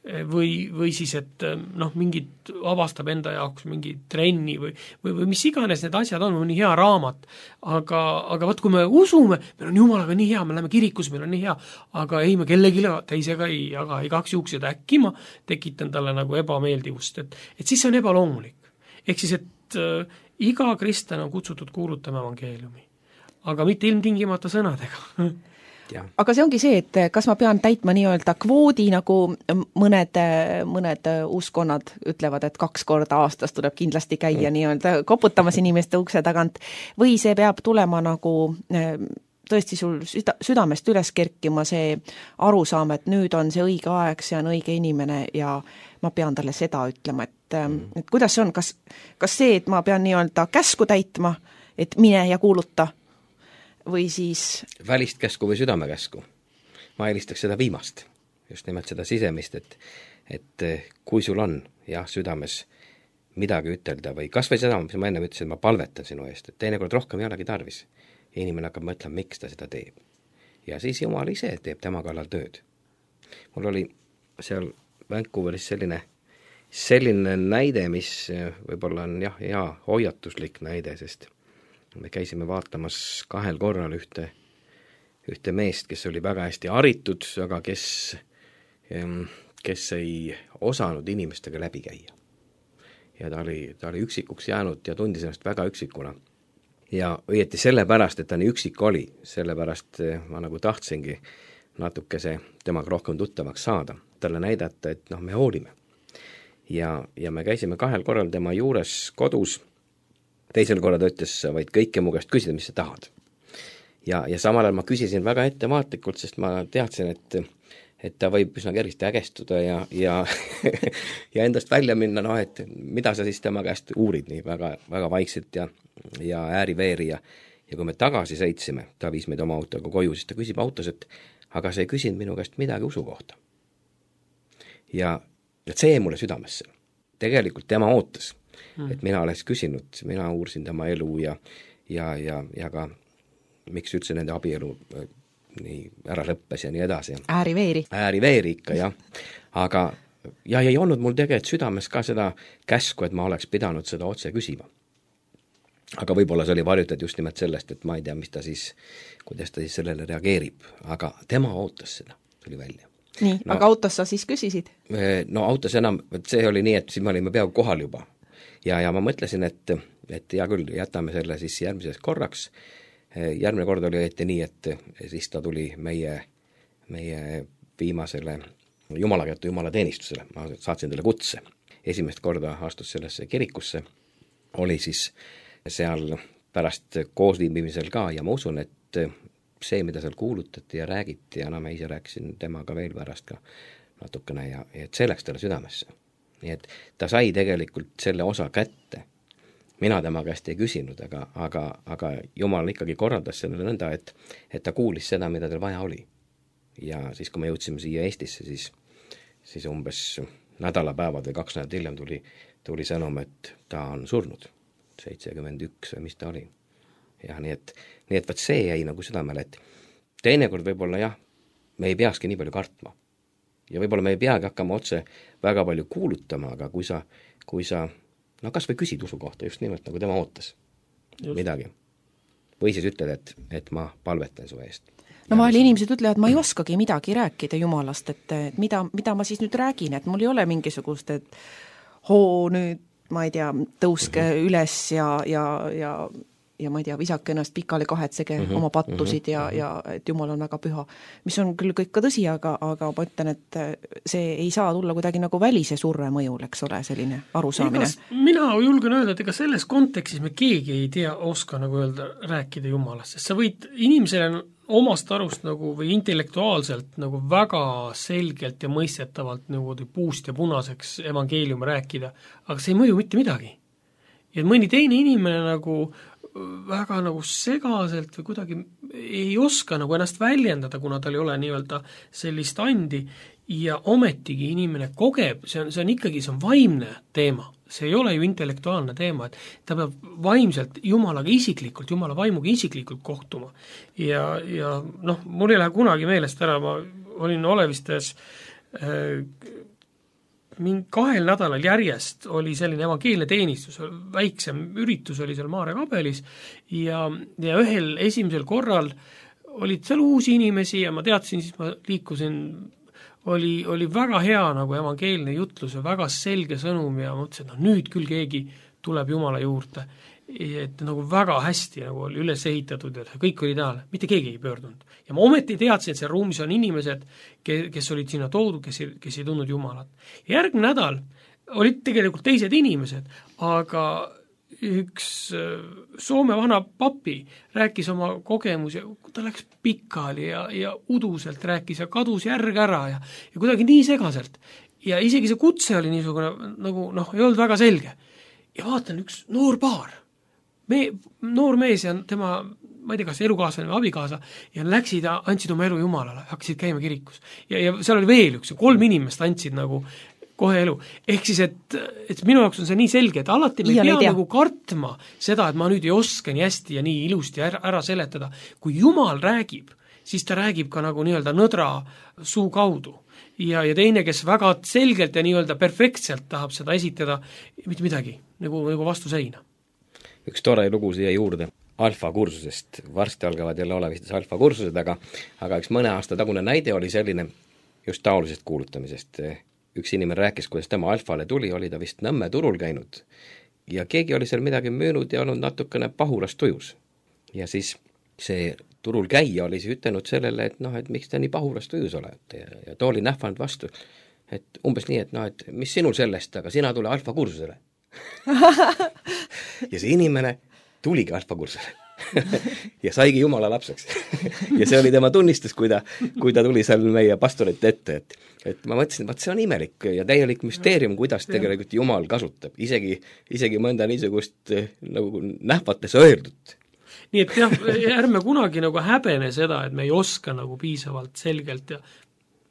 Või, või siis, et noh, mingid avastab enda jaoks mingi trenni või, või, või mis iganes need asjad on, või nii hea raamat, aga, aga võt, kui me usume, meil on Jumalaga nii hea, me läheme kirikus, meil on nii hea, aga ei, me kellegi teisega ei jaga igaks juhuks, et äkki ma tekitan talle nagu ebameeldivust, et, et siis see on ebaloomulik. Ehk siis, et äh, iga kristlane on kutsutud kuulutama evangeeliumi, aga mitte ilmtingimata sõnadega. Ja. Aga see ongi see, et kas ma pean täitma nii-öelda kvoodi, nagu mõned, mõned uskonnad ütlevad, et kaks korda aastas tuleb kindlasti käia mm. nii-öelda koputamas inimeste ukse tagant, või see peab tulema nagu tõesti sul süda, südamest üles kerkima see arusaam, et nüüd on see õige aeg, see on õige inimene ja ma pean talle seda ütlema, et, mm. et kuidas see on, kas, kas see, et ma pean nii-öelda käsku täitma, et mine ja kuuluta, või siis välist käsku või südamekäsku. Ma eelistaks seda viimast, just nimelt seda sisemist, et, et kui sul on jah, südames midagi ütelda või kas või seda, mis ma enne ütlesin, ma palvetan sinu eest, et teinekord rohkem ei olegi tarvis. Ja inimene hakkab mõtlema, miks ta seda teeb. Ja siis Jumal ise teeb tema kallal tööd. Mul oli seal Vancouveris selline, selline näide, mis võib-olla on jah, hea hoiatuslik näide, sest me käisime vaatamas kahel korral ühte, ühte meest, kes oli väga hästi haritud, aga kes, kes ei osanud inimestega läbi käia. Ja ta oli, ta oli üksikuks jäänud ja tundis ennast väga üksikuna. Ja õieti sellepärast, et ta nii üksik oli, sellepärast ma nagu tahtsingi natukese temaga rohkem tuttavaks saada, talle näidata, et noh, me hoolime. Ja, ja me käisime kahel korral tema juures kodus. Teisel korral ta ütles, sa võid kõike mu käest küsida, mis sa tahad. Ja, ja samal ajal ma küsisin väga ettevaatlikult, sest ma teadsin, et, et ta võib üsna kergesti ägestuda ja, ja, ja endast välja minna, noh, et mida sa siis tema käest uurid nii väga, väga vaikselt ja, ja ääriveeri ja, ja kui me tagasi sõitsime, ta viis meid oma autoga koju, siis ta küsib autos, et aga sa ei küsinud minu käest midagi usu kohta. Ja et see jäi mulle südamesse. Tegelikult tema ootas, et mina oleks küsinud, mina uursin tema elu ja, ja, ja, ja ka miks üldse nende abielu nii ära lõppes ja nii edasi. Ääriveeri. Ääriveeri ikka, jah. Aga ja ei olnud mul tegelikult südames ka seda käsku, et ma oleks pidanud seda otse küsima. Aga võib-olla see oli varjutud just nimelt sellest, et ma ei tea, mis ta siis, kuidas ta siis sellele reageerib. Aga tema ootas seda, tuli välja. Nii, no, aga autos sa siis küsisid? No autos enam, see oli nii, et siis me olime peaaegu kohal juba. Ja, ja ma mõtlesin, et, et hea küll, jätame selle siis järgmises korraks. Järgmine kord oli õieti nii, et siis ta tuli meie, meie viimasele jumalakätte jumalateenistusele. Ma saatsin talle kutse. Esimest korda astus sellesse kirikusse. Oli siis seal pärast koosviibimisel ka ja ma usun, et see, mida seal kuulutati ja räägiti ja no ma ise rääkisin temaga veel pärast ka natukene ja et see läks talle südamesse. Nii et ta sai tegelikult selle osa kätte. Mina tema käest ei küsinud, aga, aga, aga Jumal ikkagi korraldas sellele nõnda, et, et ta kuulis seda, mida tal vaja oli. Ja siis, kui me jõudsime siia Eestisse, siis, siis umbes nädalapäevad või kaks nädalat hiljem tuli, tuli sõnum, et ta on surnud. seitsekümmend üks või mis ta oli. Ja nii et, nii et vaat see jäi nagu südamele, et teinekord võib-olla jah, me ei peakski nii palju kartma. Ja võib-olla me ei peagi hakkama otse väga palju kuulutama, aga kui sa, kui sa no kas või küsid usu kohta just nimelt nagu tema ootas just. Midagi. Või siis ütled, et, et ma palvetan su eest. No vahel inimesed ütlevad, ma ei oskagi midagi rääkida Jumalast, et, et mida, mida ma siis nüüd räägin, et mul ei ole mingisugust, et hoo nüüd, ma ei tea, tõuske mm-hmm. üles ja, ja, ja ja ma ei tea, visake ennast pikali kahetsege mm-hmm, oma pattusid mm-hmm, ja, ja et Jumal on väga püha. Mis on küll kõik ka tõsi, aga, aga ma ütlen, et see ei saa tulla kuidagi nagu välise surre mõjul, eks ole, selline arusaamine. Ega, mina julgen öelda, et ega selles kontekstis me keegi ei tea, oska nagu öelda, rääkida Jumalast, sest sa võid inimesele omast arust nagu või intellektuaalselt nagu väga selgelt ja mõistetavalt nagu puust ja punaseks evangeeliumi rääkida, aga see ei mõju mitte midagi. Ja mõni teine inimene nagu väga nagu segaselt või kuidagi ei oska nagu ennast väljendada, kuna tal ei ole nii-öelda sellist andi ja ometigi inimene kogeb, see on, see on ikkagi, see on vaimne teema, see ei ole ju intellektuaalne teema, et ta peab vaimselt Jumalaga isiklikult, Jumala vaimuga isiklikult kohtuma ja, ja noh, mul ei lähe kunagi meelest ära, ma olin Olevistes mingi kahel nädalal järjest oli selline evangeelne teenistus, väiksem üritus oli seal Maarja kabelis ja, ja ühel esimesel korral olid seal uusi inimesi ja ma teadsin, siis ma liikusin, oli, oli väga hea nagu evangeelne jutlus ja väga selge sõnum ja mõtlesin, et no nüüd küll keegi tuleb Jumala juurde. Et nagu väga hästi nagu oli üles ehitatud ja kõik oli taale, mitte keegi ei pöördunud. Ja ma ometi teadsin, et seal ruumis on inimesed, kes olid sinna toodud, kes ei, kes ei tundnud Jumalat. Ja järgmine nädal olid tegelikult teised inimesed, aga üks Soome vana papi rääkis oma kogemus ja ta läks pikali ja, ja uduselt rääkis ja kadus järg ära ja, ja kuidagi nii segaselt. Ja isegi see kutse oli niisugune, nagu noh, ei olnud väga selge. Ja vaatan üks noor paar, me, noor mees ja tema, ma ei tea, kas elukaaslane või abikaasa, ja läksid ja andsid oma elu Jumalale, hakkasid käima kirikus. Ja, ja seal oli veel üks, kolm inimest andsid nagu kohe elu. Ehk siis, et, et minu jaoks on see nii selge, et alati me ei pea nagu kartma seda, et ma nüüd ei oska nii hästi ja nii ilusti ära, ära seletada. Kui Jumal räägib, siis ta räägib ka nagu nii-öelda nõdra suu kaudu. Ja, ja teine, kes väga selgelt ja nii-öelda perfektselt tahab seda esitada, mitte midagi, nagu, nagu vastu seina. Üks tore lugu siia juurde alfa kursusest. Varsti algavad jälle olevistes alfa kursused, aga, aga üks mõne aasta tagune näide oli selline just taolisest kuulutamisest. Üks inimene rääkis, kuidas tema alfale tuli, oli ta vist Nõmme turul käinud ja keegi oli seal midagi müünud ja olnud natukene pahurast tujus. Ja siis see turul käija oli siis ütelnud sellele, et noh, et miks te nii pahurast tujus olete ja, ja ta oli nähvanud vastu, et umbes nii, et noh, et mis sinul sellest, aga sina tule alfa kursusele. Ja see inimene tuligi alfa kursusele ja saigi Jumala lapseks. Ja see oli tema tunnistus, kui ta, kui ta tuli seal meie pastorite ette, et, et ma mõtlesin, vaat see on imelik ja täielik müsteerium, kuidas tegelikult Jumal kasutab, isegi, isegi mõnda niisugust nagu nähvates öeldut. Nii et jah, ärme kunagi nagu häbene seda, et me ei oska nagu piisavalt selgelt ja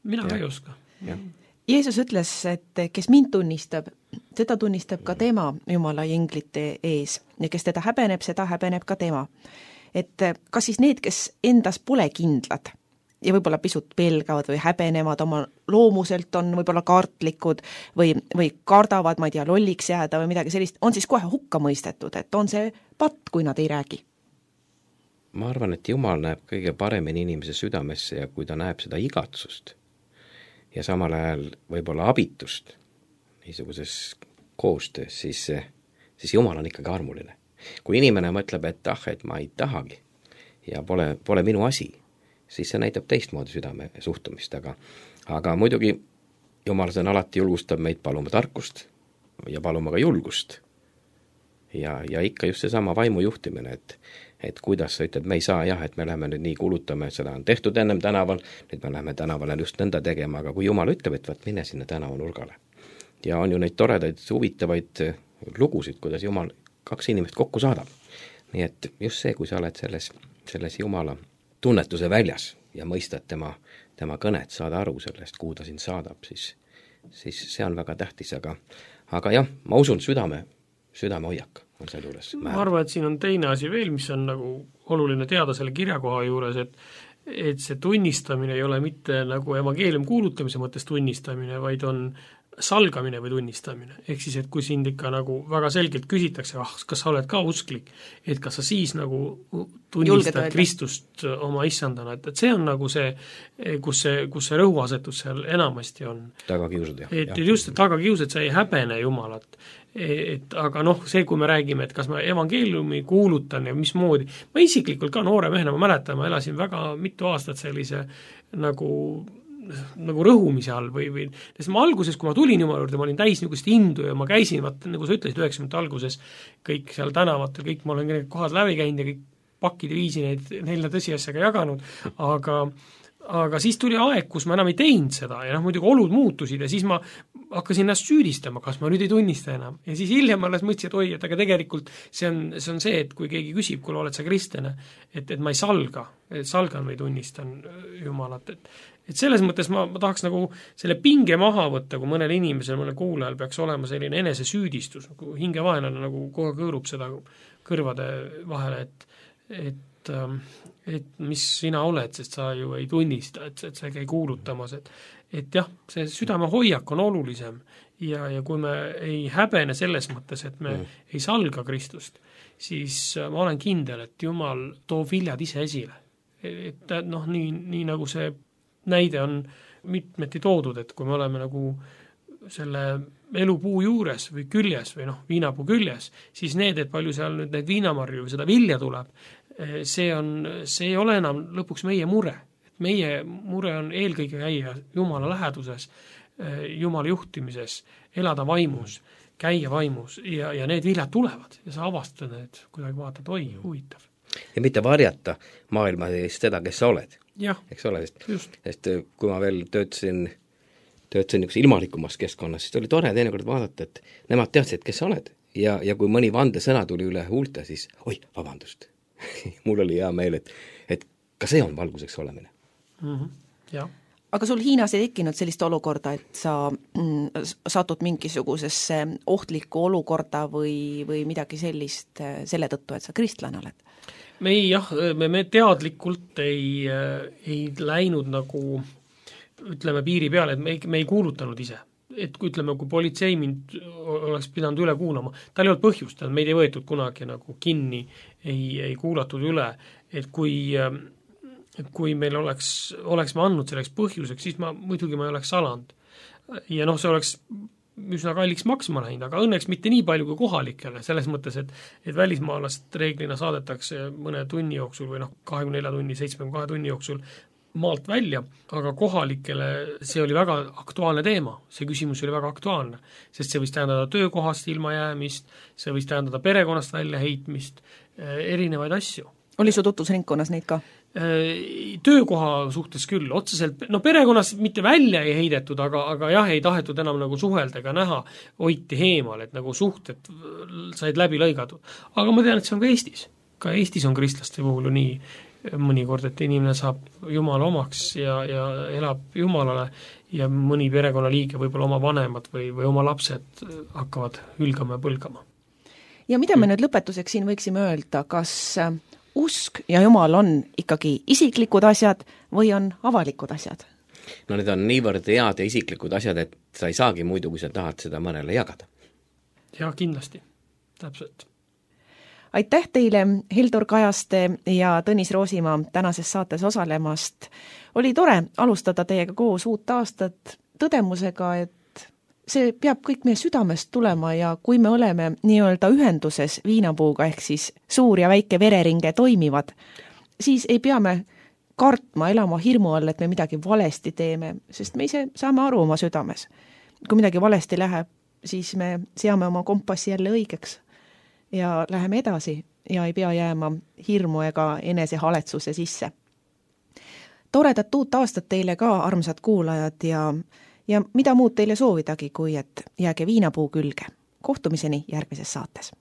mina ka ei oska. Ja. Jeesus ütles, et kes mind tunnistab, seda tunnistab ka tema Jumala inglite ees ja kes teda häbeneb, seda häbeneb ka tema. Et kas siis need, kes endas pole kindlad ja võib-olla pisut pelgavad või häbenevad oma loomuselt, on võib-olla kartlikud või, või kardavad, ma ei tea, lolliks jääda või midagi sellist, on siis kohe hukka mõistetud, et on see patt, kui nad ei räägi? Ma arvan, et Jumal näeb kõige paremini inimese südamesse ja kui ta näeb seda igatsust ja samal ajal võib-olla abitust niisuguses koostöös, siis, siis Jumal on ikkagi armuline. Kui inimene mõtleb, et ah, et ma ei tahagi ja pole, pole minu asi, siis see näitab teistmoodi südame suhtumist, aga, aga muidugi Jumal see alati julgustab meid paluma tarkust ja paluma ka julgust. Ja, ja ikka just seesama vaimu juhtimine, et et kuidas sa ütled, me ei saa jah, et me läheme nüüd nii kulutame, seda on tehtud ennem tänaval, nüüd me läheme tänavale just nõnda tegema, aga kui Jumal ütleb, et vaat mine sinna tänavanurgale. Ja on ju neid toredaid, huvitavaid lugusid, kuidas Jumal kaks inimest kokku saadab. Nii et just see, kui sa oled selles, selles Jumala tunnetuse väljas ja mõistad tema, tema kõnet, saada aru sellest, kuhu ta sind saadab, siis, siis see on väga tähtis, aga, aga jah, ma usun südame, südame hoiak. Ma arvan, et siin on teine asi veel, mis on nagu oluline teada selle kirjakoha juures, et, et see tunnistamine ei ole mitte nagu evangeelium kuulutamise mõttes tunnistamine, vaid on salgamine või tunnistamine. Ehk siis, et kui sind ikka nagu väga selgelt küsitakse, ah, kas sa oled ka usklik, et kas sa siis nagu tunnistad Kristust oma issandana, et, et see on nagu see, kus see, kus see rõhuasetus seal enamasti on. Tagakiusad, jah. Et just, et tagakiusad, sa ei häbene Jumalat. Et, aga noh, see, kui me räägime, et kas ma evangeeliumi kuulutan ja mismoodi, ma isiklikult ka noore mehena, ma mäletan, ma elasin väga mitu aastat sellise nagu nagu rõhumise all või, või sest ma alguses, kui ma tulin Jumala juurde, ma olin täis niisugust indu ja ma käisin, vaat, nagu sa ütlesid, üheksakümnendate alguses kõik seal tänavatel, kõik ma olen need kohad läbi käinud ja kõik pakid ja viisi neid neile tõsiasjaga jaganud, aga aga siis tuli aeg, kus ma enam ei teinud seda ja noh, muidugi olud muutusid ja siis ma hakkasin ennast süüdistama, kas ma nüüd ei tunnista enam. Ja siis hiljem alles mõtlesin, et oi, et aga tegelikult see on, see on see, et kui keegi küsib, kui oled sa kristlane, et, et ma ei salga, et salgan või tunnistan Jumalat, et et selles mõttes ma, ma tahaks nagu selle pinge maha võtta, kui mõnel inimesel, mõnel kuulajal peaks olema selline enesesüüdistus, nagu hingevaenlane nagu kohe kõõrub seda kõrvade vahele, et, et et et mis sina oled, sest sa ju ei tunnista, et, et sa ei käi kuulutamas, et et jah, see südame hoiak on olulisem ja, ja kui me ei häbene selles mõttes, et me mm. ei salga Kristust, siis ma olen kindel, et Jumal toob viljad ise esile. Et noh, nii, nii nagu see näide on mitmeti toodud, et kui me oleme nagu selle elupuu juures või küljes või noh, viinapuu küljes, siis need, et palju seal nüüd neid viinamarju või seda vilja tuleb, see on, see ei ole enam lõpuks meie mure. Meie mure on eelkõige käia Jumala läheduses, Jumala juhtimises, elada vaimus, käia vaimus ja, ja need viljad tulevad ja sa avastad need, kuidagi vaatad, oi, huvitav. Ja mitte varjata maailma eest seda, kes sa oled. Jah, eks ole, sest, just. Sest kui ma veel töötasin töötasin niisuguse ilmalikumas keskkonnas, siis oli tore teinekord vaadata, et nemad teadsid, kes sa oled. Ja, ja kui mõni vandesõna tuli üle huulte, siis oi, vabandust. Mul oli hea meel, et, et ka see on valguseks olemine. Mm-hmm. Ja. Aga sul Hiinas ei tekkinud sellist olukorda, et sa mm, satud mingisugusesse ohtlikku olukorda või, või midagi sellist selle tõttu, et sa kristlane oled? Me ei, jah, me, me teadlikult ei, ei läinud nagu ütleme piiri peale, et me ei, me ei kuulutanud ise. Et kui ütleme, kui politsei mind oleks pidanud üle kuulama, tal ei olnud põhjust, meid ei võetud kunagi nagu kinni, ei, ei kuulatud üle, et kui, kui meil oleks, oleks me andnud selleks põhjuseks, siis ma muidugi ma ei oleks salanud. Ja noh, see oleks üsna kalliks maksma läinud, aga õnneks mitte nii palju kui kohalikele, selles mõttes, et, et välismaalast reeglina saadetakse mõne tunni jooksul või noh, kahekümne nelja tunni, seitsmekümne kahe tunni jooksul maalt välja, aga kohalikele see oli väga aktuaalne teema, see küsimus oli väga aktuaalne, sest see võis tähendada töökohast ilmajäämist, see võis tähendada perekonnast väljaheitmist, erinevaid asju. Oli su tutvusringkonnas neid ka? Töökoha suhtes küll, otseselt, no perekonnas mitte välja ei heidetud, aga, aga jah, ei tahetud enam nagu suhelda ega näha, hoiti heemal, et nagu suhted said läbi lõigatud. Aga ma tean, et see on ka Eestis. Ka Eestis on kristlaste puhul ju nii mõnikord, et inimene saab Jumala omaks ja, ja elab Jumalale ja mõni perekonnaliige, võib-olla oma vanemad või, või oma lapsed hakkavad hülgama ja põlgama. Ja mida me nüüd lõpetuseks siin võiksime öelda, kas usk ja Jumal on ikkagi isiklikud asjad või on avalikud asjad? No need on niivõrd head ja isiklikud asjad, et sa ei saagi muidu, kui sa tahad seda mõnele jagada. Ja kindlasti, täpselt. Aitäh teile, Hildur Kajaste ja Tõnis Roosimaa tänases saates osalemast. Oli tore alustada teiega koos uut aastat tõdemusega, et see peab kõik meie südamest tulema ja kui me oleme nii-öelda ühenduses viinapuuga ehk siis suur ja väike vereringe toimivad, siis ei pea me kartma, elama hirmu all, et me midagi valesti teeme, sest me ise saame aru oma südames. Kui midagi valesti läheb, siis me seame oma kompassi jälle õigeks ja läheme edasi ja ei pea jääma hirmu ega enese haletsuse sisse. Toredat uut aastat teile ka, armsad kuulajad, ja, ja mida muud teile soovidagi, kui et jääge viinapuu külge. Kohtumiseni järgmises saates.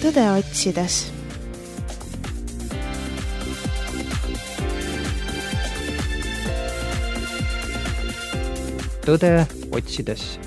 tõde otsides. tõde otsides.